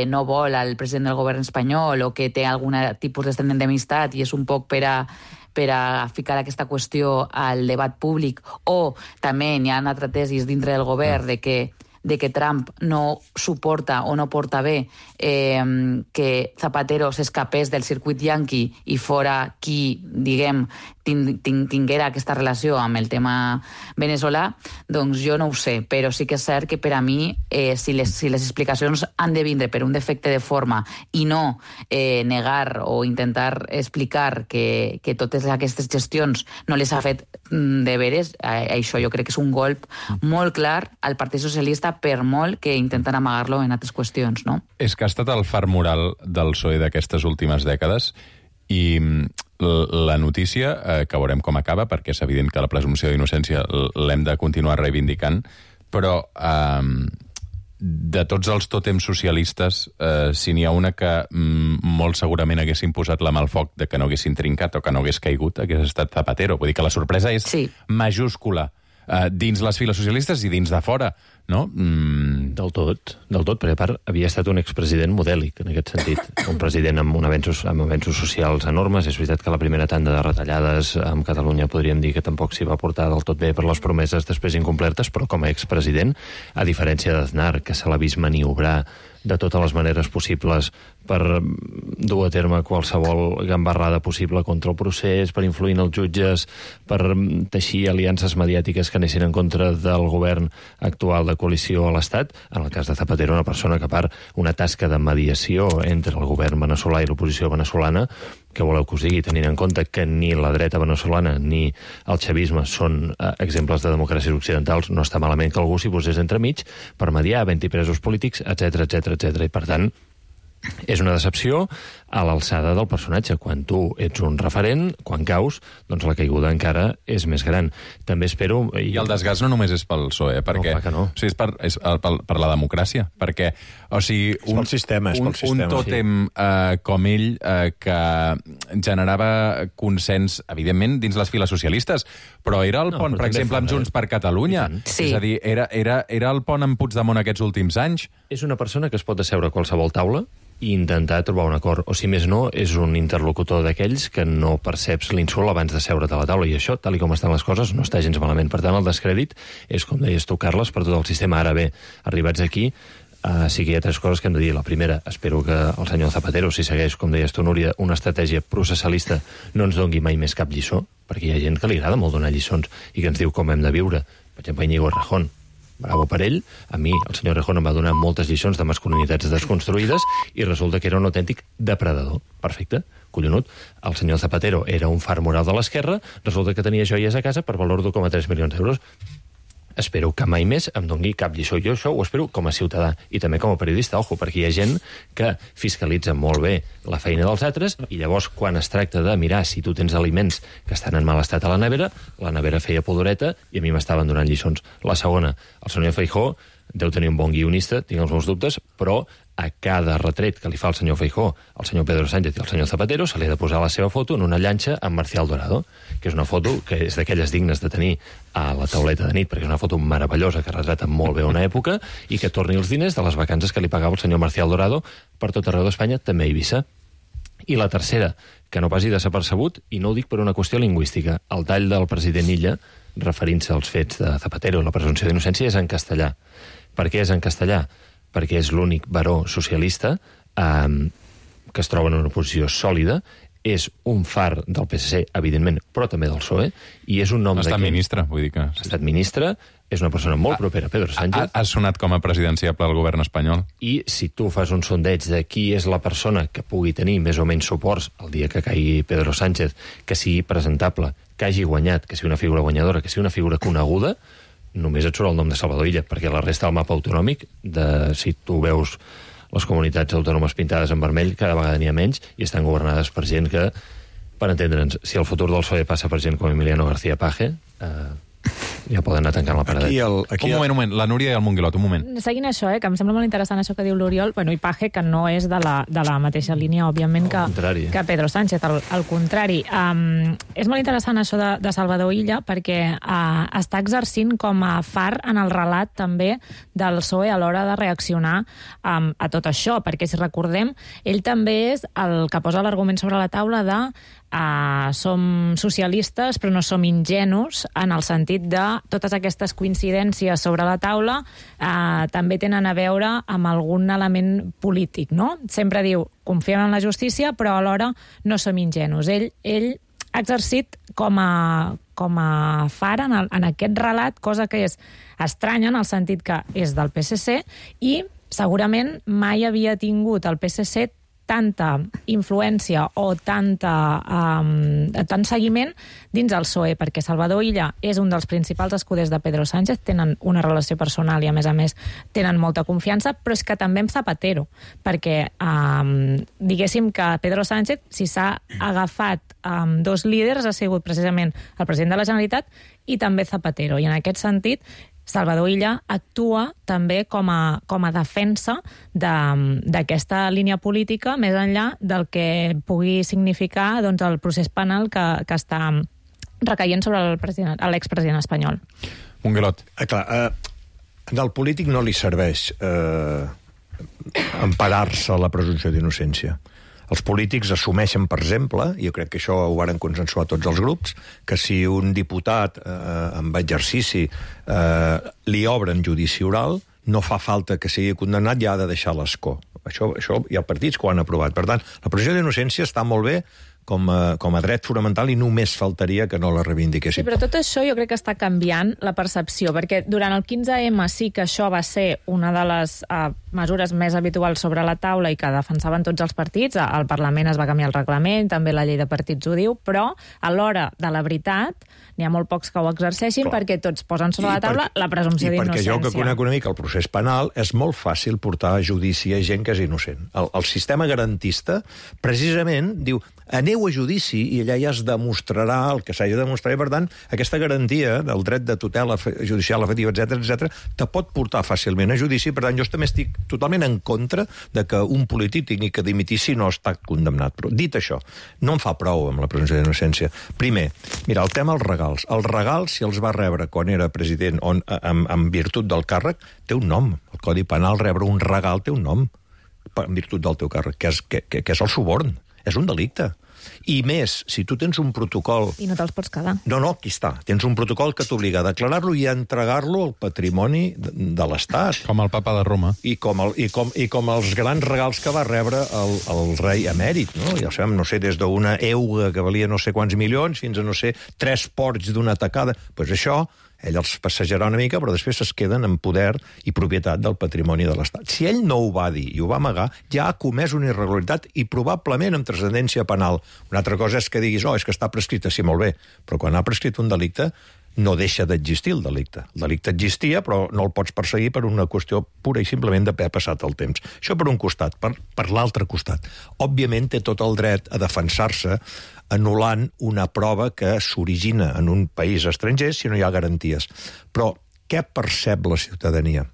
no vol al president del govern espanyol o que té algun tipus d'amistat i és un poc per a ficar aquesta qüestió al debat públic, o també hi ha altres tesis dintre del govern de que Trump no suporta o no porta bé que Zapatero s'escapés del circuit yanqui i fora qui, diguem, tinguera aquesta relació amb el tema veneçolà, doncs jo no ho sé, però sí que és cert que per a mi, si les explicacions han de vindre per un defecte de forma i no negar o intentar explicar que totes aquestes gestions no les ha fet de veres, això jo crec que és un golp molt clar al Partit Socialista, per molt que intenten amagar-lo en altres qüestions, no? És que ha estat el far moral del PSOE d'aquestes últimes dècades i la notícia, que veurem com acaba, perquè és evident que la presumpció d'innocència l'hem de continuar reivindicant, però de tots els tòtems socialistes, si n'hi ha una que molt segurament haguessin posat la mà al foc de que no haguessin trincat o que no hagués caigut, hagués estat Zapatero. Vull dir que la sorpresa és majúscula dins les files socialistes i dins de fora, no? Del tot, perquè a part havia estat un expresident modèlic, en aquest sentit. Un president amb avenços socials enormes. És veritat que la primera tanda de retallades amb Catalunya podríem dir que tampoc s'hi va portar del tot bé per les promeses després incomplertes, però com a expresident, a diferència d'Aznar, que se l'ha vist maniobrar de totes les maneres possibles per dur a terme qualsevol gambarrada possible contra el procés, per influir en els jutges, per teixir aliances mediàtiques que anessin en contra del govern actual de coalició a l'Estat. En el cas de Zapatero, una persona que, a part, una tasca de mediació entre el govern veneçolà i l'oposició veneçolana, que voleu que us digui, tenint en compte que ni la dreta veneçolana ni el xavisme són exemples de democràcies occidentals, no està malament que algú s'hi posés entremig per mediar, havent-hi presos polítics, etc. I, per tant, És una decepció a l'alçada del personatge. Quan tu ets un referent, quan caus, doncs la caiguda encara és més gran. També espero... I el desgast no només és pel PSOE, perquè... No, clar que no. O sigui, és per la democràcia, perquè, o sigui... És pel sistema, un tòtem com ell que generava consens, evidentment, dins les files socialistes, però era el pont, per exemple, amb Junts per Catalunya. Sí. És a dir, era el pont amb Puigdemont aquests últims anys. És una persona que es pot asseure a qualsevol taula i intentar trobar un acord. O si més no, és un interlocutor d'aquells que no perceps l'insult abans de seure't a la taula. I això, tal com estan les coses, no està gens malament. Per tant, el descrèdit és, com deies tu, Carles, per tot el sistema. Ara bé, arribats aquí, sí que hi ha 3 coses que hem de dir. La primera, espero que el senyor Zapatero, si segueix, com deies tu, Núria, una estratègia processalista, no ens dongui mai més cap lliçó, perquè hi ha gent que li agrada molt donar lliçons i que ens diu com hem de viure. Per exemple, Íñigo Errejón. Bravo per ell. A mi, el senyor Errejón em va donar moltes lliçons de masculinitats desconstruïdes i resulta que era un autèntic depredador. Perfecte, collonut. El senyor Zapatero era un far moral de l'esquerra, resulta que tenia joies a casa per valor d'1,3 milions d'euros. Espero que mai més em doni cap lliçó. Jo això ho espero com a ciutadà i també com a periodista, ojo, perquè hi ha gent que fiscalitza molt bé la feina dels altres i llavors quan es tracta de mirar si tu tens aliments que estan en mal estat a la nevera feia pudoreta i a mi m'estaven donant lliçons. La segona, el senyor Feijóo deu tenir un bon guionista, tinc els meus dubtes, però a cada retret que li fa el senyor Feijóo, el senyor Pedro Sánchez i el senyor Zapatero se li ha de posar la seva foto en una llanxa amb Marcial Dorado, que és una foto que és d'aquelles dignes de tenir a la tauleta de nit, perquè és una foto meravellosa que retrata molt bé una època i que torni els diners de les vacances que li pagava el senyor Marcial Dorado per tot arreu d'Espanya, també a Eivissa. I la tercera, que no passi desapercebut, i no ho dic per una qüestió lingüística, el tall del president Illa, referint-se als fets de Zapatero i la presumpció d'innocència, és en castellà. Per què és en castellà? Perquè és l'únic baró socialista que es troba en una posició sòlida, és un far del PSC, evidentment, però també del PSOE, i és un nom Ha estat ministre, vull dir que... Ha estat ministre, és una persona molt propera a Pedro Sánchez. Ha sonat com a presidenciable al govern espanyol. I si tu fas un sondeig de qui és la persona que pugui tenir més o menys suports el dia que caigui Pedro Sánchez, que sigui presentable, que hagi guanyat, que sigui una figura guanyadora, que sigui una figura coneguda, només et surt el nom de Salvador Illa, perquè la resta del mapa autonòmic, si tu veus les comunitats autònomes pintades en vermell, cada vegada n'hi ha menys i estan governades per gent que, per entendre'ns, si el futur del PSOE passa per gent com Emiliano García Paje, ja poden anar tancant la paradeta. Un moment, la Núria i el Monguilot, un moment. Seguint això, que em sembla molt interessant això que diu l'Oriol, bueno, i Paje, que no és de la mateixa línia, òbviament, que Pedro Sánchez, al contrari. És molt interessant això de Salvador Illa, perquè està exercint com a far en el relat també del PSOE a l'hora de reaccionar a tot això, perquè si recordem, ell també és el que posa l'argument sobre la taula de som socialistes però no som ingenus, en el sentit de totes aquestes coincidències sobre la taula també tenen a veure amb algun element polític, no? Sempre diu, confiem en la justícia, però alhora no som ingenus. Ell ha exercit com a far en aquest relat, cosa que és estranya en el sentit que és del PSC i segurament mai havia tingut el PSC tanta influència o tant seguiment dins el PSOE, perquè Salvador Illa és un dels principals escuders de Pedro Sánchez, tenen una relació personal i, a més, tenen molta confiança, però és que també amb Zapatero, perquè diguéssim que Pedro Sánchez, si s'ha agafat dos líders, ha sigut precisament el president de la Generalitat i també Zapatero, i en aquest sentit Salvador Illa actua també com a defensa d'aquesta línia política més enllà del que pugui significar el procés penal que està recaient sobre l'expresident espanyol. Monguilot. Clar, al polític no li serveix emparar-se a la presumpció d'innocència. Els polítics assumeixen, per exemple, i jo crec que això ho varen consensuar tots els grups, que si un diputat amb exercici li obren judici oral, no fa falta que sigui condemnat, ja ha de deixar l'escó. Això hi ha partits que ho han aprovat. Per tant, la presumpció d'innocència està molt bé com a dret fonamental i només faltaria que no la reivindiquessin. Sí, però tot això jo crec que està canviant la percepció, perquè durant el 15M sí que això va ser una de les mesures més habituals sobre la taula i que defensaven tots els partits. Al Parlament es va canviar el reglament, també la llei de partits ho diu, però a l'hora de la veritat n'hi ha molt pocs que ho exerceixin perquè tots posen sobre la taula la presumpció d'innocència. I perquè jo que conec una mica el procés penal, és molt fàcil portar a judici a gent que és innocent. El sistema garantista precisament diu aneu a judici i allà ja es demostrarà el que s'hagi de demostrar i, per tant, aquesta garantia del dret de tutela judicial efectiva, etc te pot portar fàcilment a judici. Per tant, jo també estic totalment en contra de que un polític tingui que dimitir si no està condemnat. Però, dit això, no em fa prou amb la presumpció d'innocència. Primer, mira, el tema dels regals. Els regals, si els va rebre quan era president en virtut del càrrec, té un nom. El Codi Penal, rebre un regal té un nom en virtut del teu càrrec, que és el suborn. És un delicte. I més, si tu tens un protocol... I no te'ls pots quedar. No, aquí està. Tens un protocol que t'obliga a declarar-lo i a entregar-lo al patrimoni de l'Estat. Com el papa de Roma. I com els grans regals que va rebre el rei emèrit, no? Ja sabem, no sé, des d'una euga que valia no sé quants milions fins a, no sé, 3 porcs d'una tacada. Doncs això... ell els passejarà una mica, però després es queden en poder i propietat del patrimoni de l'Estat. Si ell no ho va dir i ho va amagar, ja ha comès una irregularitat i probablement amb transcendència penal. Una altra cosa és que diguis, és que està prescrit, sí, molt bé, però quan ha prescrit un delicte no deixa d'existir el delicte. El delicte existia, però no el pots perseguir per una qüestió pura i simplement d'haver passat el temps. Això per un costat. Per l'altre costat, òbviament té tot el dret a defensar-se anul·lant una prova que s'origina en un país estranger si no hi ha garanties. Però què percep la ciutadania?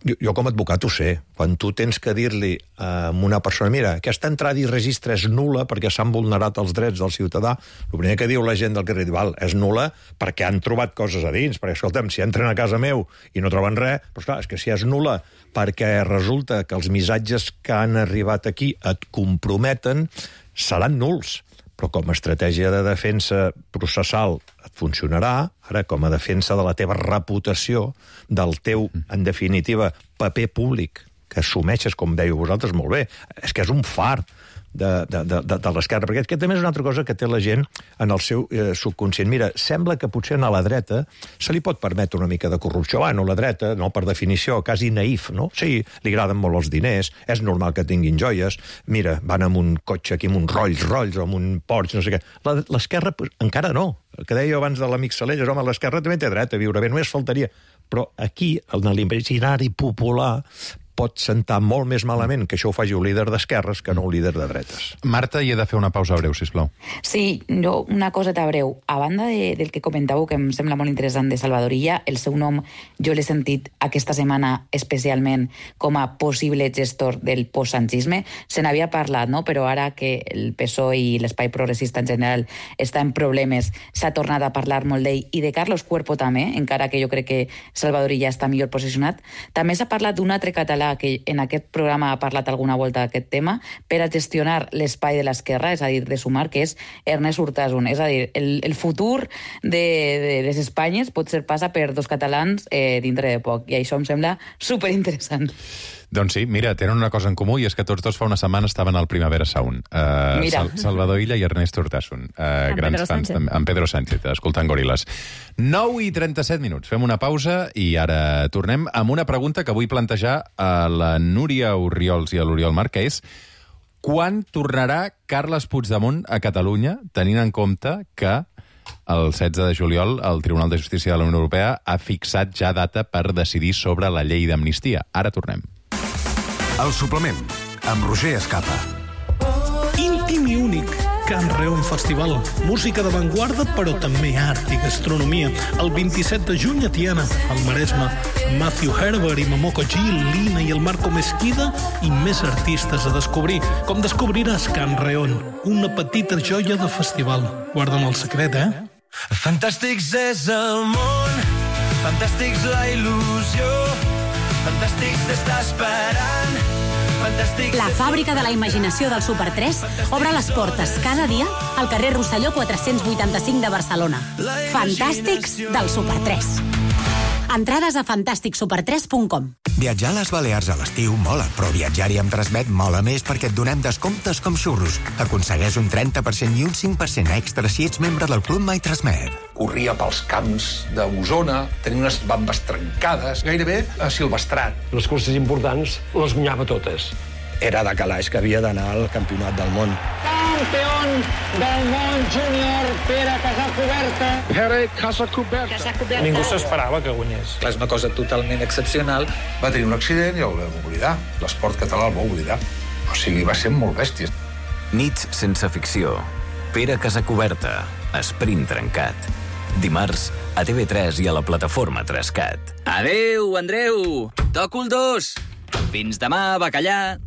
Jo com a advocat ho sé. Quan tu tens que dir-li a una persona, mira, aquesta entrada i registre és nul·la perquè s'han vulnerat els drets del ciutadà, el primer que diu la gent del carrer, és nul·la perquè han trobat coses a dins, perquè, escolta'm, si entren a casa meu i no troben res, doncs clar, és que si és nul·la perquè resulta que els missatges que han arribat aquí et comprometen, seran nuls. Però com a estratègia de defensa processal et funcionarà, ara com a defensa de la teva reputació, del teu, en definitiva, paper públic, que assumeixes, com dèieu vosaltres, molt bé. És que és un far de l'esquerra, perquè aquest també és una altra cosa que té la gent en el seu subconscient. Mira, sembla que potser a la dreta se li pot permetre una mica de corrupció. Bueno, la dreta, no, per definició, quasi naïf, no? Sí, li agraden molt els diners, és normal que tinguin joies, mira, van amb un cotxe aquí, amb un Rolls Royce, amb un Porsche, no sé què. L'esquerra encara no. El que deia abans de l'amic Salelles, home, l'esquerra també té dret a viure bé, només faltaria. Però aquí, en l'imaginari popular, pot sentar molt més malament que això ho faci un líder d'esquerres que no un líder de dretes. Marta, hi he de fer una pausa breu, sisplau. Sí, jo una coseta breu. A banda del que comentàveu, que em sembla molt interessant de Salvador Illa, el seu nom jo l'he sentit aquesta setmana especialment com a possible gestor del postsanchisme. Se n'havia parlat, no? Però ara que el PSOE i l'espai progressista en general està en problemes, s'ha tornat a parlar molt d'ell, i de Carlos Cuerpo també, encara que jo crec que Salvador Illa està millor posicionat. També s'ha parlat d'un altre català que en aquest programa ha parlat alguna volta d'aquest tema, per a gestionar l'espai de l'esquerra, és a dir, de Sumar, que és Ernest Urtasun. És a dir, el futur de les Espanyes pot ser passa per 2 catalans dintre de poc, i això em sembla superinteressant. Doncs sí, mira, tenen una cosa en comú, i és que tots dos fa una setmana estaven al Primavera Sound. Salvador Illa i Ernest Urtasun. Grans fans, amb Pedro Sánchez, escoltant Goril·les. 9:37 minuts. Fem una pausa i ara tornem amb una pregunta que vull plantejar a la Núria Orriols i a l'Oriol Marc, que és: quan tornarà Carles Puigdemont a Catalunya, tenint en compte que el 16 de juliol el Tribunal de Justícia de la Unió Europea ha fixat ja data per decidir sobre la llei d'amnistia? Ara tornem. El suplement, amb Roger Escapa. Íntim i únic, Can Reon Festival. Música d'avantguarda, però també art i gastronomia. El 27 de juny a Tiana, al Maresme. Matthew Herbert i Momoko Gil, Lina i el Marco Mesquida i més artistes a descobrir. Com descobriràs Can Reon, una petita joia de festival. Guarda'm el secret, Fantàstics és el món, fantàstics la il·lusió, fantàstics d'estar esperant, fantàstics... La fàbrica de la imaginació del Super 3 obre les portes cada dia al carrer Rosselló 485 de Barcelona. Fantàstics del Super 3. Entrades a fantasticsuper3.com. Viatjar a les Balears a l'estiu mola, però viatjar-hi amb Transmet mola més perquè et donem descomptes com xurros. Aconsegueix un 30% i un 5% extra si ets membre del Club My Transmet. Corria pels camps d'Osona, tenia unes bambes trencades, gairebé silvestrat. Les curses importants les guanyava totes. Era de calaix que havia d'anar al campionat del món. Campió del món júnior, Pere Casacuberta. Pere Casacuberta. Ningú s'esperava que guanyés. És una cosa totalment excepcional. Va tenir un accident i el vam oblidar. L'esport català el va oblidar. O sigui, va ser molt bèstia. Nits sense ficció. Pere Casacuberta. Esprint trencat. Dimarts a TV3 i a la plataforma 3CAT. Adéu, Andreu! Toco el 2! Fins demà, bacallà!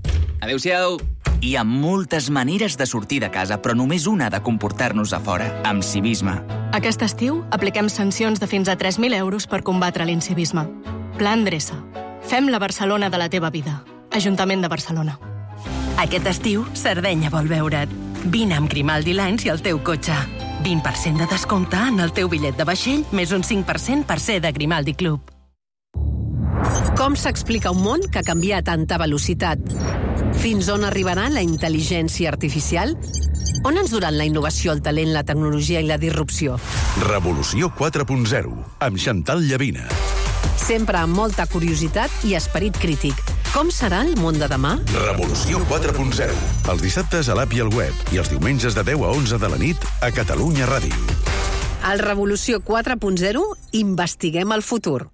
Adéu-siau! Hi ha moltes maneres de sortir de casa, però només una de comportar-nos a fora, amb civisme. Aquest estiu apliquem sancions de fins a 3.000 euros per combatre l'incivisme. Pla Endreça. Fem la Barcelona de la teva vida. Ajuntament de Barcelona. Aquest estiu, Sardenya vol veure't. Vine amb Grimaldi Lines i el teu cotxe. 20% de descompte en el teu bitllet de vaixell, més un 5% per ser de Grimaldi Club. Com s'explica un món que canvia a tanta velocitat? Fins on arribarà la intel·ligència artificial? On ens duran la innovació, el talent, la tecnologia i la disrupció? Revolució 4.0, amb Chantal Llavina. Sempre amb molta curiositat i esperit crític. Com serà el món de demà? Revolució 4.0, els dissabtes a l'app i al web i els diumenges de 10 a 11 de la nit a Catalunya Ràdio. Al Revolució 4.0 investiguem el futur.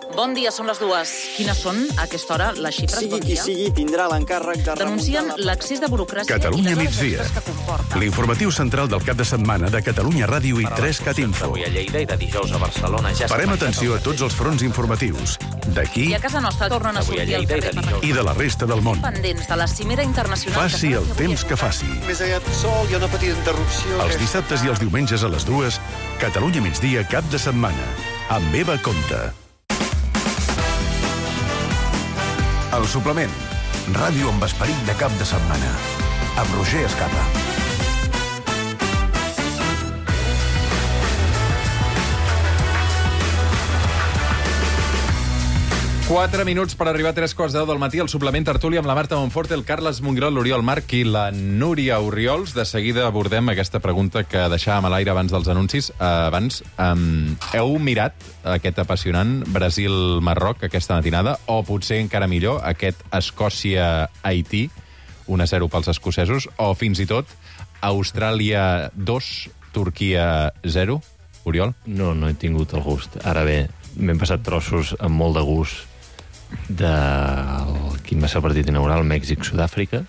Bon dia, són les 2. Quines són, a aquesta hora, les xifres? Sigui qui sigui, tindrà l'encàrrec de denuncien l'excés de burocràcia Catalunya i les migdia. hores extres que comporta. L'informatiu central del cap de setmana de Catalunya Ràdio i 3CAT Info. Avui a Lleida i de dijous a Barcelona ja Parem atenció a tots els fronts informatius, d'aquí I a casa nostra tornen a sortir al carrer per i de la resta del món. pendents de la cimera internacional. Faci el temps que faci. Més allà del sol, hi ha una petita interrupció. Els dissabtes i els diumenges a les 2, Catalunya migdia, cap de setmana. Amb Eva Comte. El suplement. Ràdio amb esperit de cap de setmana. Amb Roger Escapa. Quatre minuts per arribar a 3:15 del matí. El suplement tertúlia amb la Marta Monforte, el Carles Mongrol, l'Oriol Marc i la Núria Oriols. De seguida abordem aquesta pregunta que deixàvem a l'aire abans dels anuncis. Heu mirat aquest apassionant Brasil-Marroc aquesta matinada? O potser encara millor, aquest Escòcia-Haití, 1-0 pels escocesos? O fins i tot Austràlia 2, Turquia 0? Oriol? No he tingut el gust. Ara bé, m'hem passat trossos amb molt de gust quin va ser el partit inaugural, Mèxic-Sud-àfrica,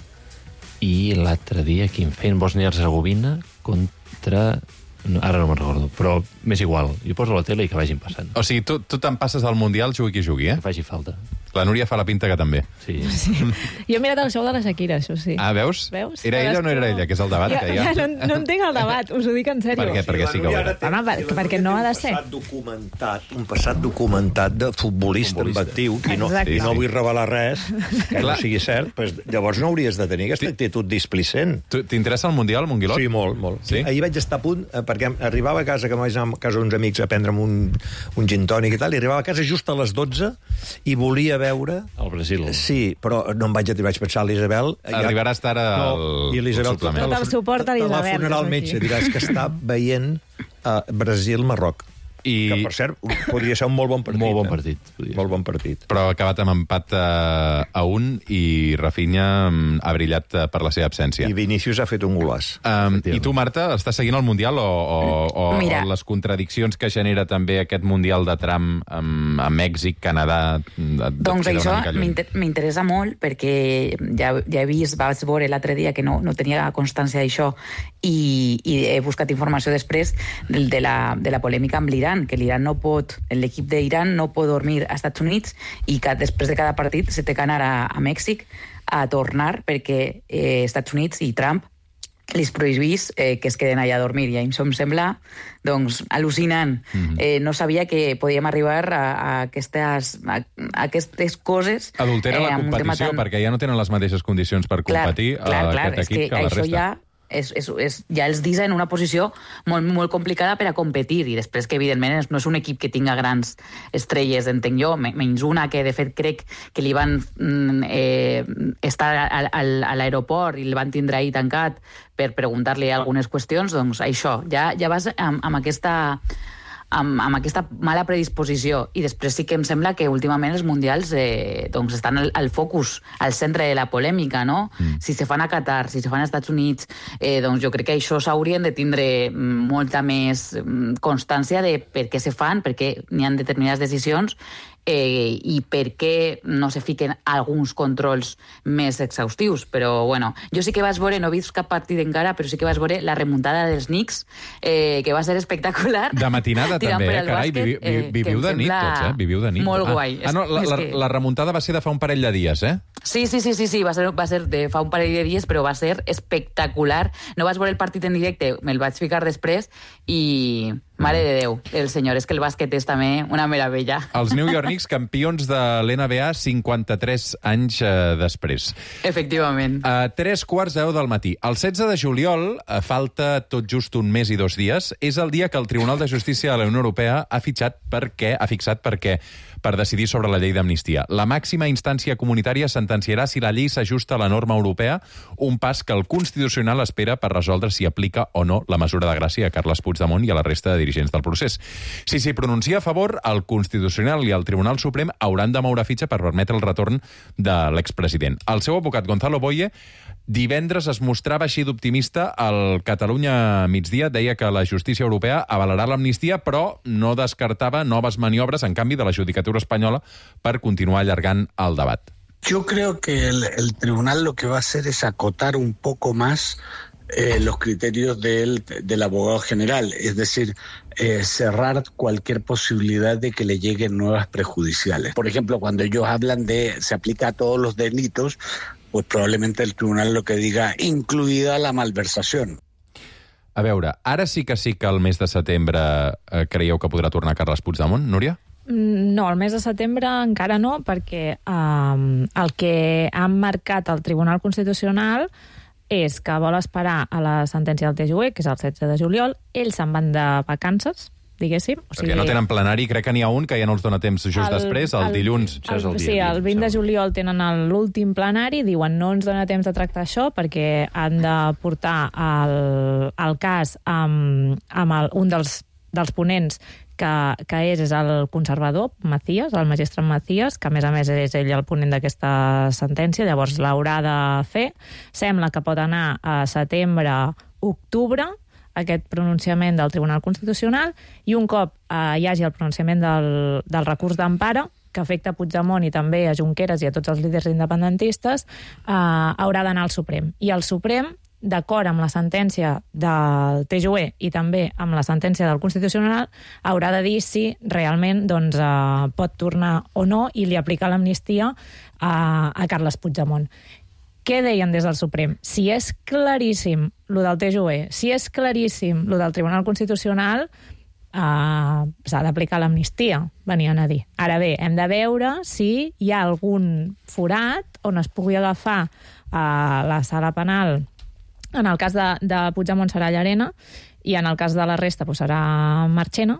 i l'altre dia quin feien Bòsnia-Hercegovina contra... No, ara no me'n recordo, però m'és igual. Jo poso la tele i que vagin passant. O sigui, tu te'n passes al Mundial, jugui qui jugui, eh? Que faci falta. La Núria fa la pinta que també. Sí. Jo he mirat el show de la Shakira, això sí. Ah, veus? Era ella o no era ella? Que és el debat que hi ha. No entenc el debat, us ho dic en sèrio. Per què? Perquè sí que ho era. Home, perquè no ha de ser. Un passat documentat de futbolista en actiu, i no vull revelar res que no sigui cert, llavors no hauries de tenir aquesta actitud displicent. T'interessa el Mundial, Monguilot? Sí, molt. Sí? Ahir vaig estar a punt, perquè arribava a casa, que vaig anar a casa d'uns amics a prendre'm un gin tònic i tal, i arribava a casa just a les 12 i volia veure... El Brasil. Sí, però no em vaig pensar, l'Isabel... Arribaràs tard al suplement. Tot el suport a l'Isabel. Telefonarà al metge, diràs que està veient Brasil-Marroc. Que, per cert, podria ser un molt bon partit. Molt bon partit. Molt bon partit. Però ha acabat amb empat a 1 i Rafinha ha brillat per la seva absència. I Vinícius ha fet un golàs. I tu, Marta, estàs seguint el Mundial o les contradiccions que genera també aquest Mundial de tram amb Mèxic, Canadà... Doncs això m'interessa molt perquè ja he vist, vaig veure l'altre dia que no tenia constància d'això i he buscat informació després de la polèmica amb l'Iran, que l'Iran no pot, l'equip d'Iran no pot dormir als Estats Units i que després de cada partit se té que anar a Mèxic a tornar perquè Estats Units i Trump li prohibís que es queden allà a dormir. I això em sembla doncs, al·lucinant. No sabia que podíem arribar a aquestes coses. Adultera la competició, perquè ja no tenen les mateixes condicions per competir aquest equip que la resta. ja els deixa en una posició molt, molt complicada per a competir, i després que, evidentment, no és un equip que tinga grans estrelles, entenc jo, menys una que, de fet, crec que li van estar a l'aeroport i el van tindre ahir tancat per preguntar-li algunes qüestions, doncs això, ja vas amb aquesta mala predisposició. I després sí que em sembla que últimament els mundials estan al focus, al centre de la polèmica, no? Si se fan a Qatar, si se fan als Estats Units, doncs jo crec que això s'haurien de tindre molta més constància de per què se fan, per què n'hi ha determinades decisions i per què no se fiquen alguns controls més exhaustius. Però, bueno, jo sí que vaig veure, no he vist cap partit encara, però sí que vaig veure la remuntada dels Knicks, que va ser espectacular. De matinada també, carai, viviu de nit tots, viviu de nit. Molt guai. No, la remuntada va ser de fa un parell de dies, Sí, va ser de fa un parell de dies, però va ser espectacular. No vaig veure el partit en directe, me'l vaig ficar després i... Mare de Déu, el senyor, és que el bàsquet és també una meravella. Els New York Knicks, campions de l'NBA 53 anys després. Efectivament. 3:15 del matí. El 16 de juliol, falta tot just un mes i 2 dies, és el dia que el Tribunal de Justícia de la Unió Europea ha fixat per decidir sobre la llei d'amnistia. La màxima instància comunitària sentenciarà si la llei s'ajusta a la norma europea, un pas que el Constitucional espera per resoldre si aplica o no la mesura de gràcia a Carles Puigdemont i a la resta de dirigents del procés. Si s'hi pronuncia a favor, el Constitucional i el Tribunal Suprem hauran de moure fitxa per permetre el retorn de l'expresident. El seu advocat, Gonzalo Boye, divendres es mostrava així d'optimista al Catalunya Migdia, deia que la justícia europea avalarà l'amnistia, però no descartava noves maniobres, en canvi, de la judicatura espanyola per continuar allargant el debat. Yo creo que el tribunal lo que va a hacer es acotar un poco más los criterios del abogado general, es decir, cerrar cualquier posibilidad de que le lleguen nuevas prejudiciales. Por ejemplo, cuando ellos hablan de se aplica a todos los delitos, pues probablemente el tribunal lo que diga, incluida la malversación. A veure, ara sí que el mes de setembre creieu que podrà tornar Carles Puigdemont, Núria? No, el mes de setembre encara no, perquè el que ha marcat el Tribunal Constitucional és que vol esperar a la sentència del TJUE, que és el 16 de juliol. Ells se'n van de vacances, diguéssim. Perquè no tenen plenari, crec que n'hi ha un que ja no els dona temps just després, el dilluns. Sí, el 20 de juliol tenen l'últim plenari, diuen no ens dona temps de tractar això perquè han de portar el cas amb un dels ponents que és el conservador, Macías, el magistrat Macías, que a més és ell el ponent d'aquesta sentència, llavors l'haurà de fer. Sembla que pot anar a setembre-octubre, aquest pronunciament del Tribunal Constitucional, i un cop hi hagi el pronunciament del recurs d'empara, que afecta a Puigdemont i també a Junqueras i a tots els líders independentistes, haurà d'anar al Suprem. I el Suprem, d'acord amb la sentència del TJUE i també amb la sentència del Constitucional, haurà de dir si realment pot tornar o no i li aplicar l'amnistia a Carles Puigdemont. Què deien des del Suprem? Si és claríssim lo del TJUE, si és claríssim lo del Tribunal Constitucional, s'ha d'aplicar l'amnistia, venien a dir. Ara bé, hem de veure si hi ha algun forat on es pugui agafar a la sala penal. En el cas de Puigdemont serà Llarena i en el cas de la resta serà Marchena,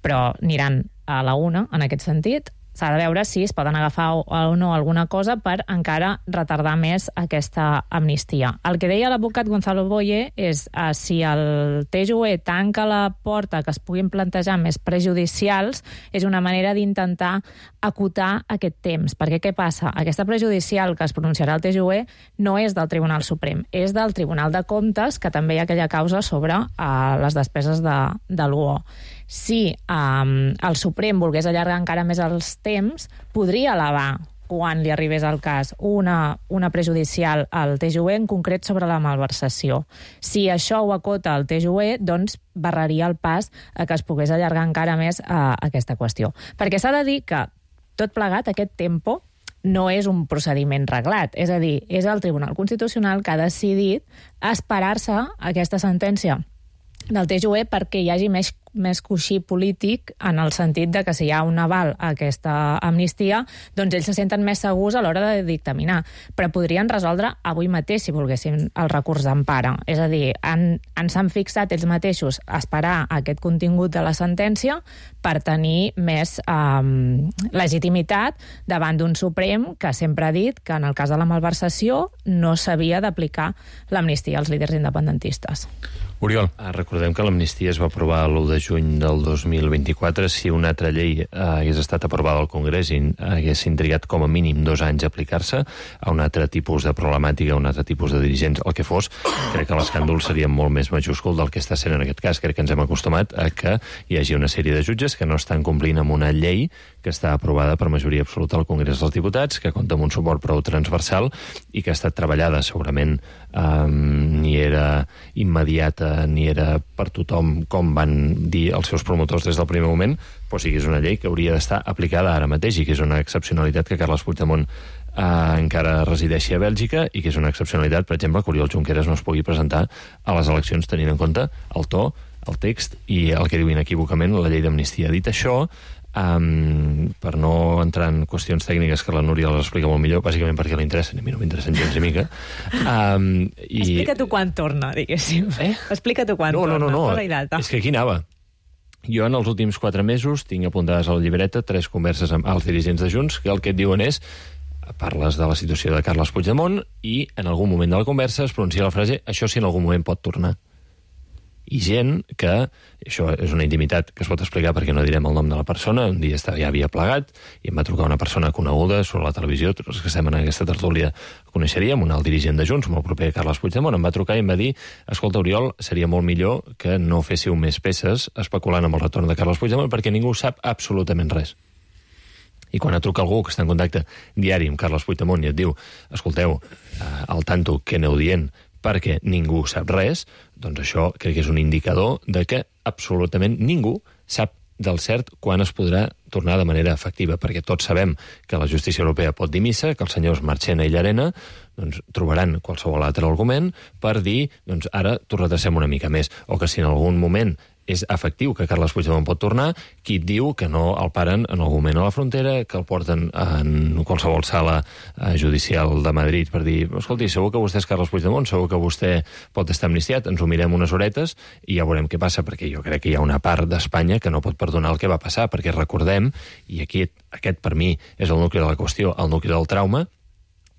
però aniran a la una en aquest sentit. S'ha de veure si es poden agafar o no alguna cosa per encara retardar més aquesta amnistia. El que deia l'advocat Gonzalo Boye és si el TJUE tanca la porta que es puguin plantejar més prejudicials, és una manera d'intentar acotar aquest temps. Perquè què passa? Aquesta prejudicial que es pronunciarà el TJUE no és del Tribunal Suprem, és del Tribunal de Comptes, que també hi ha aquella causa sobre les despeses de l'UO. Si el Suprem volgués allargar encara més els temps, podria elevar, quan li arribés el cas, una prejudicial al TJUE, en concret sobre la malversació. Si això ho acota el TJUE, doncs barraria el pas a que es pogués allargar encara més aquesta qüestió. Perquè s'ha de dir que, tot plegat, aquest tempo no és un procediment reglat. És a dir, és el Tribunal Constitucional que ha decidit esperar-se aquesta sentència del TJUE perquè hi hagi més més coixí polític en el sentit de que si hi ha un aval a aquesta amnistia, doncs ells se senten més segurs a l'hora de dictaminar. Però podrien resoldre avui mateix, si volguessin, el recurs d'empara. És a dir, s'han fixat ells mateixos a esperar aquest contingut de la sentència per tenir més legitimitat davant d'un Suprem que sempre ha dit que en el cas de la malversació no s'havia d'aplicar l'amnistia als líders independentistes. Oriol. Recordem que l'amnistia es va aprovar l'1 de juny del 2024. Si una altra llei hagués estat aprovada al Congrés i haguessin trigat com a mínim 2 anys a aplicar-se a un altre tipus de problemàtica, a un altre tipus de dirigents, el que fos, crec que l'escàndol seria molt més majúscul del que està sent en aquest cas. Crec que ens hem acostumat a que hi hagi una sèrie de jutges que no estan complint amb una llei que està aprovada per majoria absoluta al Congrés dels Diputats, que compta amb un suport prou transversal i que ha estat treballada. Segurament ni era immediata ni era per tothom, com van dir els seus promotors des del primer moment, però sí que és una llei que hauria d'estar aplicada ara mateix i que és una excepcionalitat que Carles Puigdemont encara resideixi a Bèlgica i que és una excepcionalitat, per exemple, que Oriol Junqueras no es pugui presentar a les eleccions tenint en compte el to, el text i el que diu inequívocament la llei d'amnistia. Dit això, per no entrar en qüestions tècniques que la Núria les explica molt millor, bàsicament perquè li interessen, a mi no m'interessen gens ni mica. Explica tu quan torna, diguéssim. Explica tu quan torna. No. És que aquí anava. Jo en els últims 4 mesos tinc apuntades a la llibreta 3 converses amb alts dirigents de Junts que el que et diuen és parles de la situació de Carles Puigdemont i en algun moment de la conversa es pronuncia la frase això si en algun moment pot tornar. I gent que, això és una intimitat que es pot explicar perquè no direm el nom de la persona, un dia ja havia plegat i em va trucar una persona coneguda sobre la televisió, tots els que estem en aquesta tertúlia coneixeríem, un alt dirigent de Junts, molt proper a Carles Puigdemont, em va trucar i em va dir escolta, Oriol, seria molt millor que no féssiu més peces especulant amb el retorn de Carles Puigdemont perquè ningú sap absolutament res. I quan et truca algú que està en contacte diari amb Carles Puigdemont i et diu escolteu, al tanto, què aneu dient? Perquè ningú sap res, doncs això crec que és un indicador de que absolutament ningú sap del cert quan es podrà tornar de manera efectiva, perquè tots sabem que la justícia europea pot dir missa, que els senyors Marchena i Llarena doncs, trobaran qualsevol altre argument per dir doncs, ara t'ho retracem una mica més, o que si en algun moment és efectiu que Carles Puigdemont pot tornar, qui et diu que no el paren en algun moment a la frontera, que el porten en qualsevol sala judicial de Madrid per dir, escolti, segur que vostè és Carles Puigdemont, segur que vostè pot estar amnistiat, ens ho mirem unes horetes i ja veurem què passa, perquè jo crec que hi ha una part d'Espanya que no pot perdonar el que va passar, perquè recordem, i aquí aquest per mi és el nucli de la qüestió, el nucli del trauma,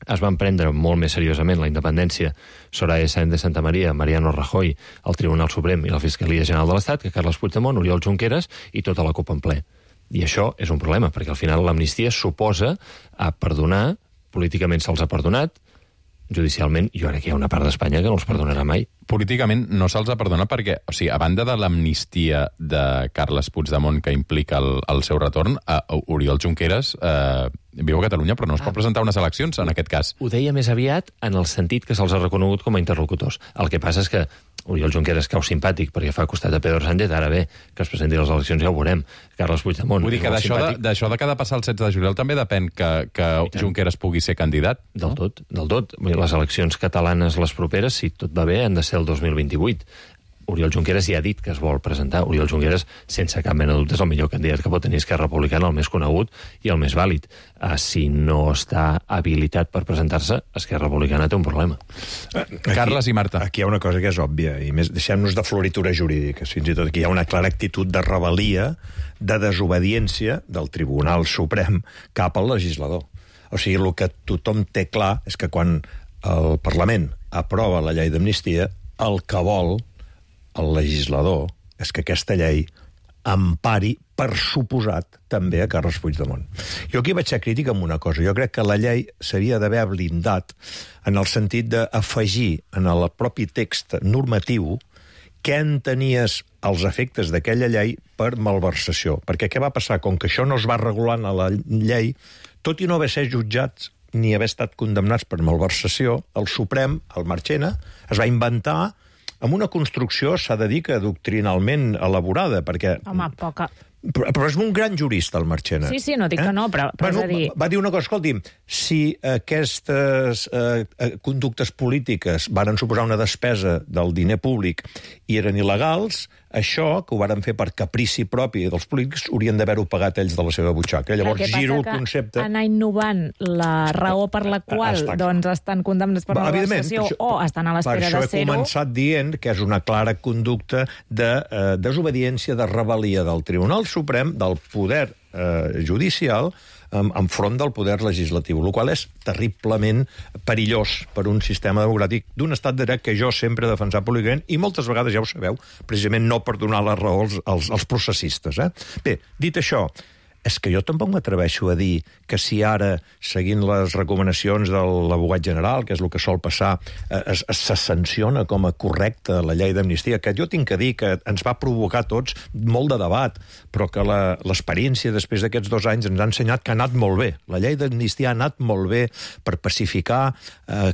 es van prendre molt més seriosament la independència Soraya Sáenz de Santamaría, Mariano Rajoy, el Tribunal Suprem i la Fiscalia General de l'Estat que Carles Puigdemont, Oriol Junqueras i tota la CUP en ple. I això és un problema, perquè al final l'amnistia suposa a perdonar, políticament se'ls ha perdonat, judicialment, jo crec que hi ha una part d'Espanya que no els perdonarà mai. Políticament no se'ls ha perdonat perquè, o sigui, a banda de l'amnistia de Carles Puigdemont que implica el seu retorn, Oriol Junqueras viu a Catalunya però no es pot presentar unes eleccions en aquest cas. Ho deia més aviat en el sentit que se'ls ha reconegut com a interlocutors. El que passa és que Oriol Junqueras cau simpàtic perquè fa costat a Pedro Sánchez, ara bé, que es presenti a les eleccions ja ho veurem. Carles Puigdemont... Vull dir que d'això de que ha de passar el 16 de juliol també depèn que Junqueras pugui ser candidat? Del tot. Les eleccions catalanes, les properes, si tot va bé, han de ser el 2028. Oriol Junqueras ja ha dit que es vol presentar. Oriol Junqueras, sense cap mena de dubte, és el millor candidat que pot tenir Esquerra Republicana, el més conegut i el més vàlid. Si no està habilitat per presentar-se, Esquerra Republicana té un problema. Carles i Marta. Aquí hi ha una cosa que és òbvia, i més deixem-nos de floritura jurídica, fins i tot aquí hi ha una clara actitud de rebel·lia, de desobediència del Tribunal Suprem cap al legislador. O sigui, el que tothom té clar és que quan el Parlament aprova la llei d'amnistia, el que vol el legislador és que aquesta llei empari, per suposat, també a Carles Puigdemont. Jo aquí vaig ser crític amb una cosa. Jo crec que la llei s'havia d'haver blindat en el sentit d'afegir en el propi text normatiu què entenies els efectes d'aquella llei per malversació. Perquè què va passar? Com que això no es va regular a la llei, tot i no haver ser jutjats ni haver estat condemnats per malversació, el Suprem, el Marchena, es va inventar amb una construcció, s'ha de dir que doctrinalment elaborada, perquè... Home, poca... Però és un gran jurista, el Marchena. Sí, no dic que no, però és a dir... Va dir una cosa, escolti'm, si aquestes conductes polítiques varen suposar una despesa del diner públic i eren il·legals, això, que ho varen fer per caprici propi dels polítics, haurien d'haver-ho pagat ells de la seva butxaca. Llavors giro el concepte... Anar innovant la raó per la qual estan condemnats per una legislació o estan a l'espera de ser-ho... Per això he començat dient que és una clara conducta de desobediència, de rebel·lia del Tribunal Suprem, del poder judicial, enfront del poder legislatiu, el qual és terriblement perillós per un sistema democràtic d'un estat de dret que jo sempre he defensat públicament i moltes vegades, ja ho sabeu, precisament no per donar la raó als processistes. Bé, dit això, és que jo tampoc m'atreveixo a dir que si ara, seguint les recomanacions de l'abogat general, que és el que sol passar, se sanciona com a correcta la llei d'amnistia, que jo tinc que dir que ens va provocar tots molt de debat, però que l'experiència després d'aquests 2 anys ens ha ensenyat que ha anat molt bé. La llei d'amnistia ha anat molt bé per pacificar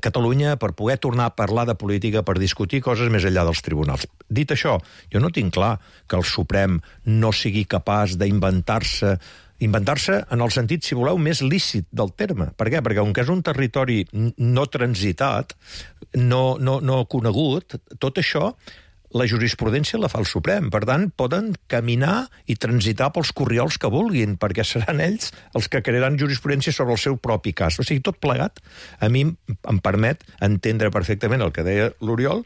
Catalunya, per poder tornar a parlar de política, per discutir coses més enllà dels tribunals. Dit això, jo no tinc clar que el Suprem no sigui capaç d'inventar-se en el sentit, si voleu, més lícit del terme. Per què? Perquè, com que és un territori no transitat, no conegut, tot això, la jurisprudència la fa el Suprem. Per tant, poden caminar i transitar pels corriols que vulguin, perquè seran ells els que crearan jurisprudència sobre el seu propi cas. O sigui, tot plegat, a mi em permet entendre perfectament el que deia l'Oriol,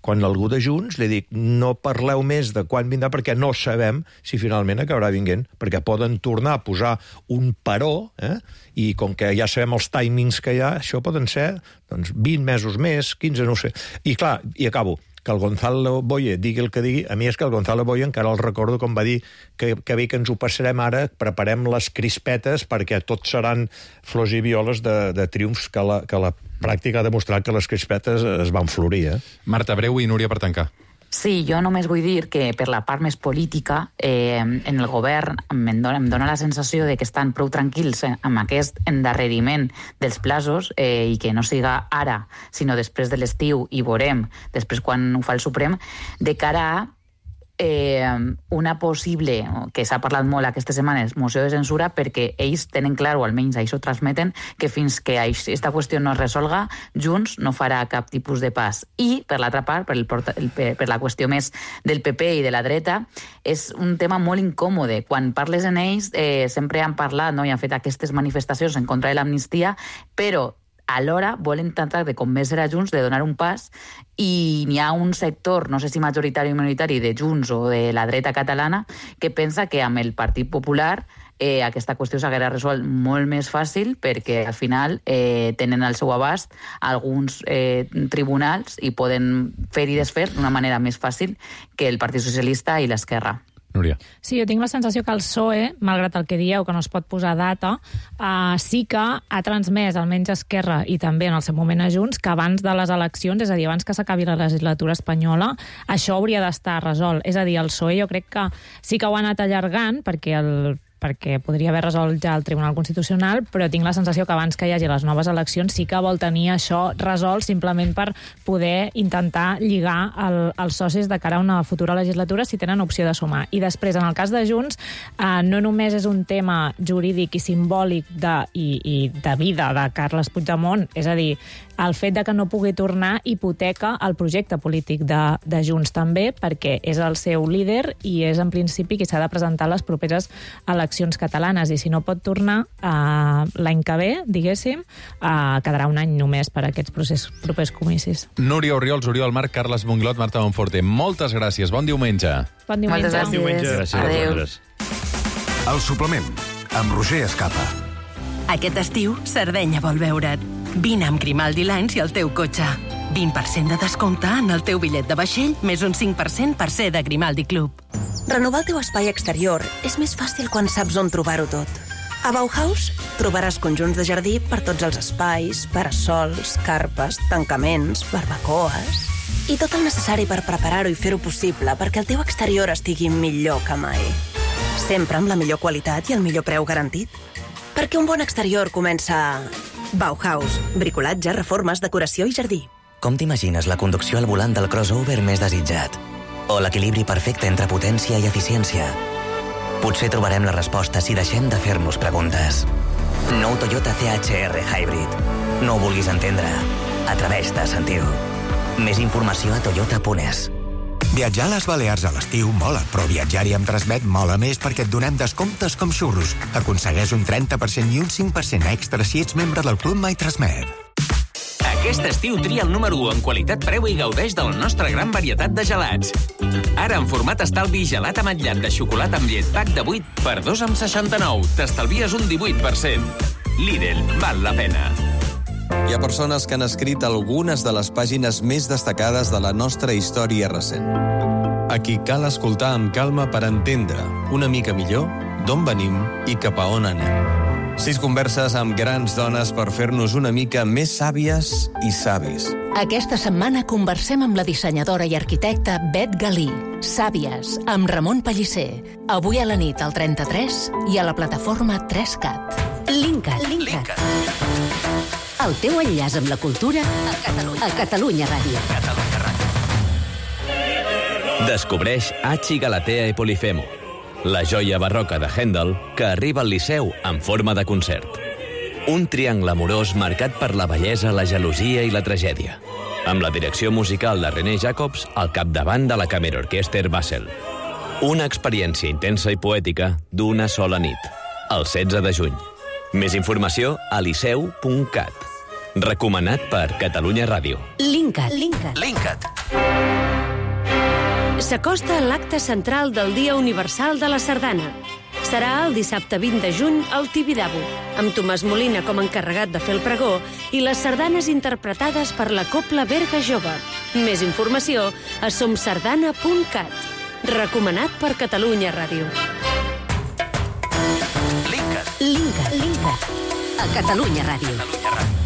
quan algú de Junts li dic no parleu més de quan vindrà perquè no sabem si finalment acabarà vinguent, perquè poden tornar a posar un paró, i com que ja sabem els timings que hi ha, això poden ser 20 mesos més, 15, no ho sé. I clar, i acabo, que el Gonzalo Boye digui el que digui, a mi és que el Gonzalo Boye encara el recordo com va dir que bé que ens ho passarem ara, preparem les crispetes perquè tot seran flors i violes de triomfs que la pràctica ha demostrat que les crispetes es van florir. Marta, breu i Núria per tancar. Sí, jo només vull dir que per la part més política, en el govern em dóna la sensació de que estan prou tranquils amb aquest endarreriment dels plazos i que no siga ara, sinó després de l'estiu i veurem, després quan ho fa el Suprem, de cara a una possible, que s'ha parlat molt aquestes setmanes, moció de censura, perquè ells tenen clar, o almenys això transmeten, que fins que aquesta qüestió no es resolga, Junts no farà cap tipus de pas. I, per l'altra part, per la qüestió més del PP i de la dreta, és un tema molt incòmode. Quan parles en ells, sempre han parlat, no, i han fet aquestes manifestacions en contra de l'amnistia, però alhora volen tratar de convèncer a Junts de donar un pas i n'hi ha un sector, no sé si majoritari o minoritari, de Junts o de la dreta catalana que pensa que amb el Partit Popular aquesta qüestió s'haguera resolt molt més fàcil perquè al final tenen al seu abast alguns tribunals i poden fer i desfer d'una manera més fàcil que el Partit Socialista i l'Esquerra. Núria. Sí, jo tinc la sensació que el PSOE, malgrat el que dieu, que no es pot posar data, sí que ha transmès, almenys a Esquerra i també en el seu moment a Junts, que abans de les eleccions, és a dir, abans que s'acabi la legislatura espanyola, això hauria d'estar resolt. És a dir, el PSOE jo crec que sí que ho ha anat allargant perquè podria haver resolt ja el Tribunal Constitucional, però tinc la sensació que abans que hi hagi les noves eleccions sí que vol tenir això resolt simplement per poder intentar lligar els socis de cara a una futura legislatura si tenen opció de sumar. I després, en el cas de Junts, no només és un tema jurídic i simbòlic i de vida de Carles Puigdemont, és a dir, el fet de que no pugui tornar hipoteca el projecte polític de Junts també, perquè és el seu líder i és en principi qui s'ha de presentar a les properes eleccions catalanes, i si no pot tornar l'any que ve, diguéssim, quedarà un any només per a aquests propers comicis. Núria Orriols, Oriol Marc, Carles Monglot, Marta Monforte, moltes gràcies. Bon diumenge. Bon diumenge. Moltes gràcies. Adéu. El suplement, amb Roger Escapa. Aquest estiu, Sardenya vol veure't. Vine amb Grimaldi Lines i el teu cotxe. 20% de descompte en el teu bitllet de vaixell, més un 5% per ser de Grimaldi Club. Renovar el teu espai exterior és més fàcil quan saps on trobar-ho tot. A Bauhaus trobaràs conjunts de jardí per tots els espais, parasols, carpes, tancaments, barbacoes i tot el necessari per preparar-ho i fer-ho possible perquè el teu exterior estigui millor que mai. Sempre amb la millor qualitat i el millor preu garantit. Perquè un bon exterior comença a Bauhaus, bricolatge, reformes, decoració i jardí. Com t'imagines la conducció al volant del crossover més desitjat? O l'equilibri perfecte entre potència i eficiència? Potser trobarem la resposta si deixem de fer-nos preguntes. Nou Toyota CHR Hybrid. No ho vulguis entendre. Atreveix-te a sentir-ho. Més informació a toyota.es. Viatjar a les Balears a l'estiu mola, però viatjar-hi amb Transmet mola més perquè et donem descomptes com xurros. Aconsegueix un 30% i un 5% extra si ets membre del Club My Transmet. Aquest estiu tria el número 1 en qualitat-preu i gaudeix de la nostra gran varietat de gelats. Ara, en format estalvi, gelat ametllat de xocolata amb llet pack de 8 per 2,69. T'estalvies un 18%. Lidl, val la pena. Hi ha persones que han escrit algunes de les pàgines més destacades de la nostra història recent. A qui cal escoltar amb calma per entendre una mica millor d'on venim i cap a on anem. 6 converses amb grans dones per fer-nos una mica més sàvies i savis. Aquesta setmana conversem amb la dissenyadora i arquitecta Bet Galí. Sàvies, amb Ramon Pellicer. Avui a la nit al 33 i a la plataforma 3CAT. Linkat. El teu enllaç amb la cultura a Catalunya Ràdio. Descobreix Hachi Galatea e Polifemo, la joia barroca de Händel que arriba al Liceu en forma de concert. Un triangle amorós marcat per la bellesa, la gelosia i la tragèdia, amb la direcció musical de René Jacobs al capdavant de la Kammerorchester Basel. Una experiència intensa i poètica d'una sola nit, el 16 de juny. Més informació a liceu.cat. Recomanat per Catalunya Ràdio. Linkat. S'acosta l'acte central del Dia Universal de la Sardana. Serà el dissabte 20 de juny al Tibidabo, amb Tomàs Molina com a encarregat de fer el pregó i les sardanes interpretades per la Cobla Berga Jove. Més informació a somsardana.cat. Recomanat per Catalunya Ràdio. Linkat. A Catalunya Ràdio.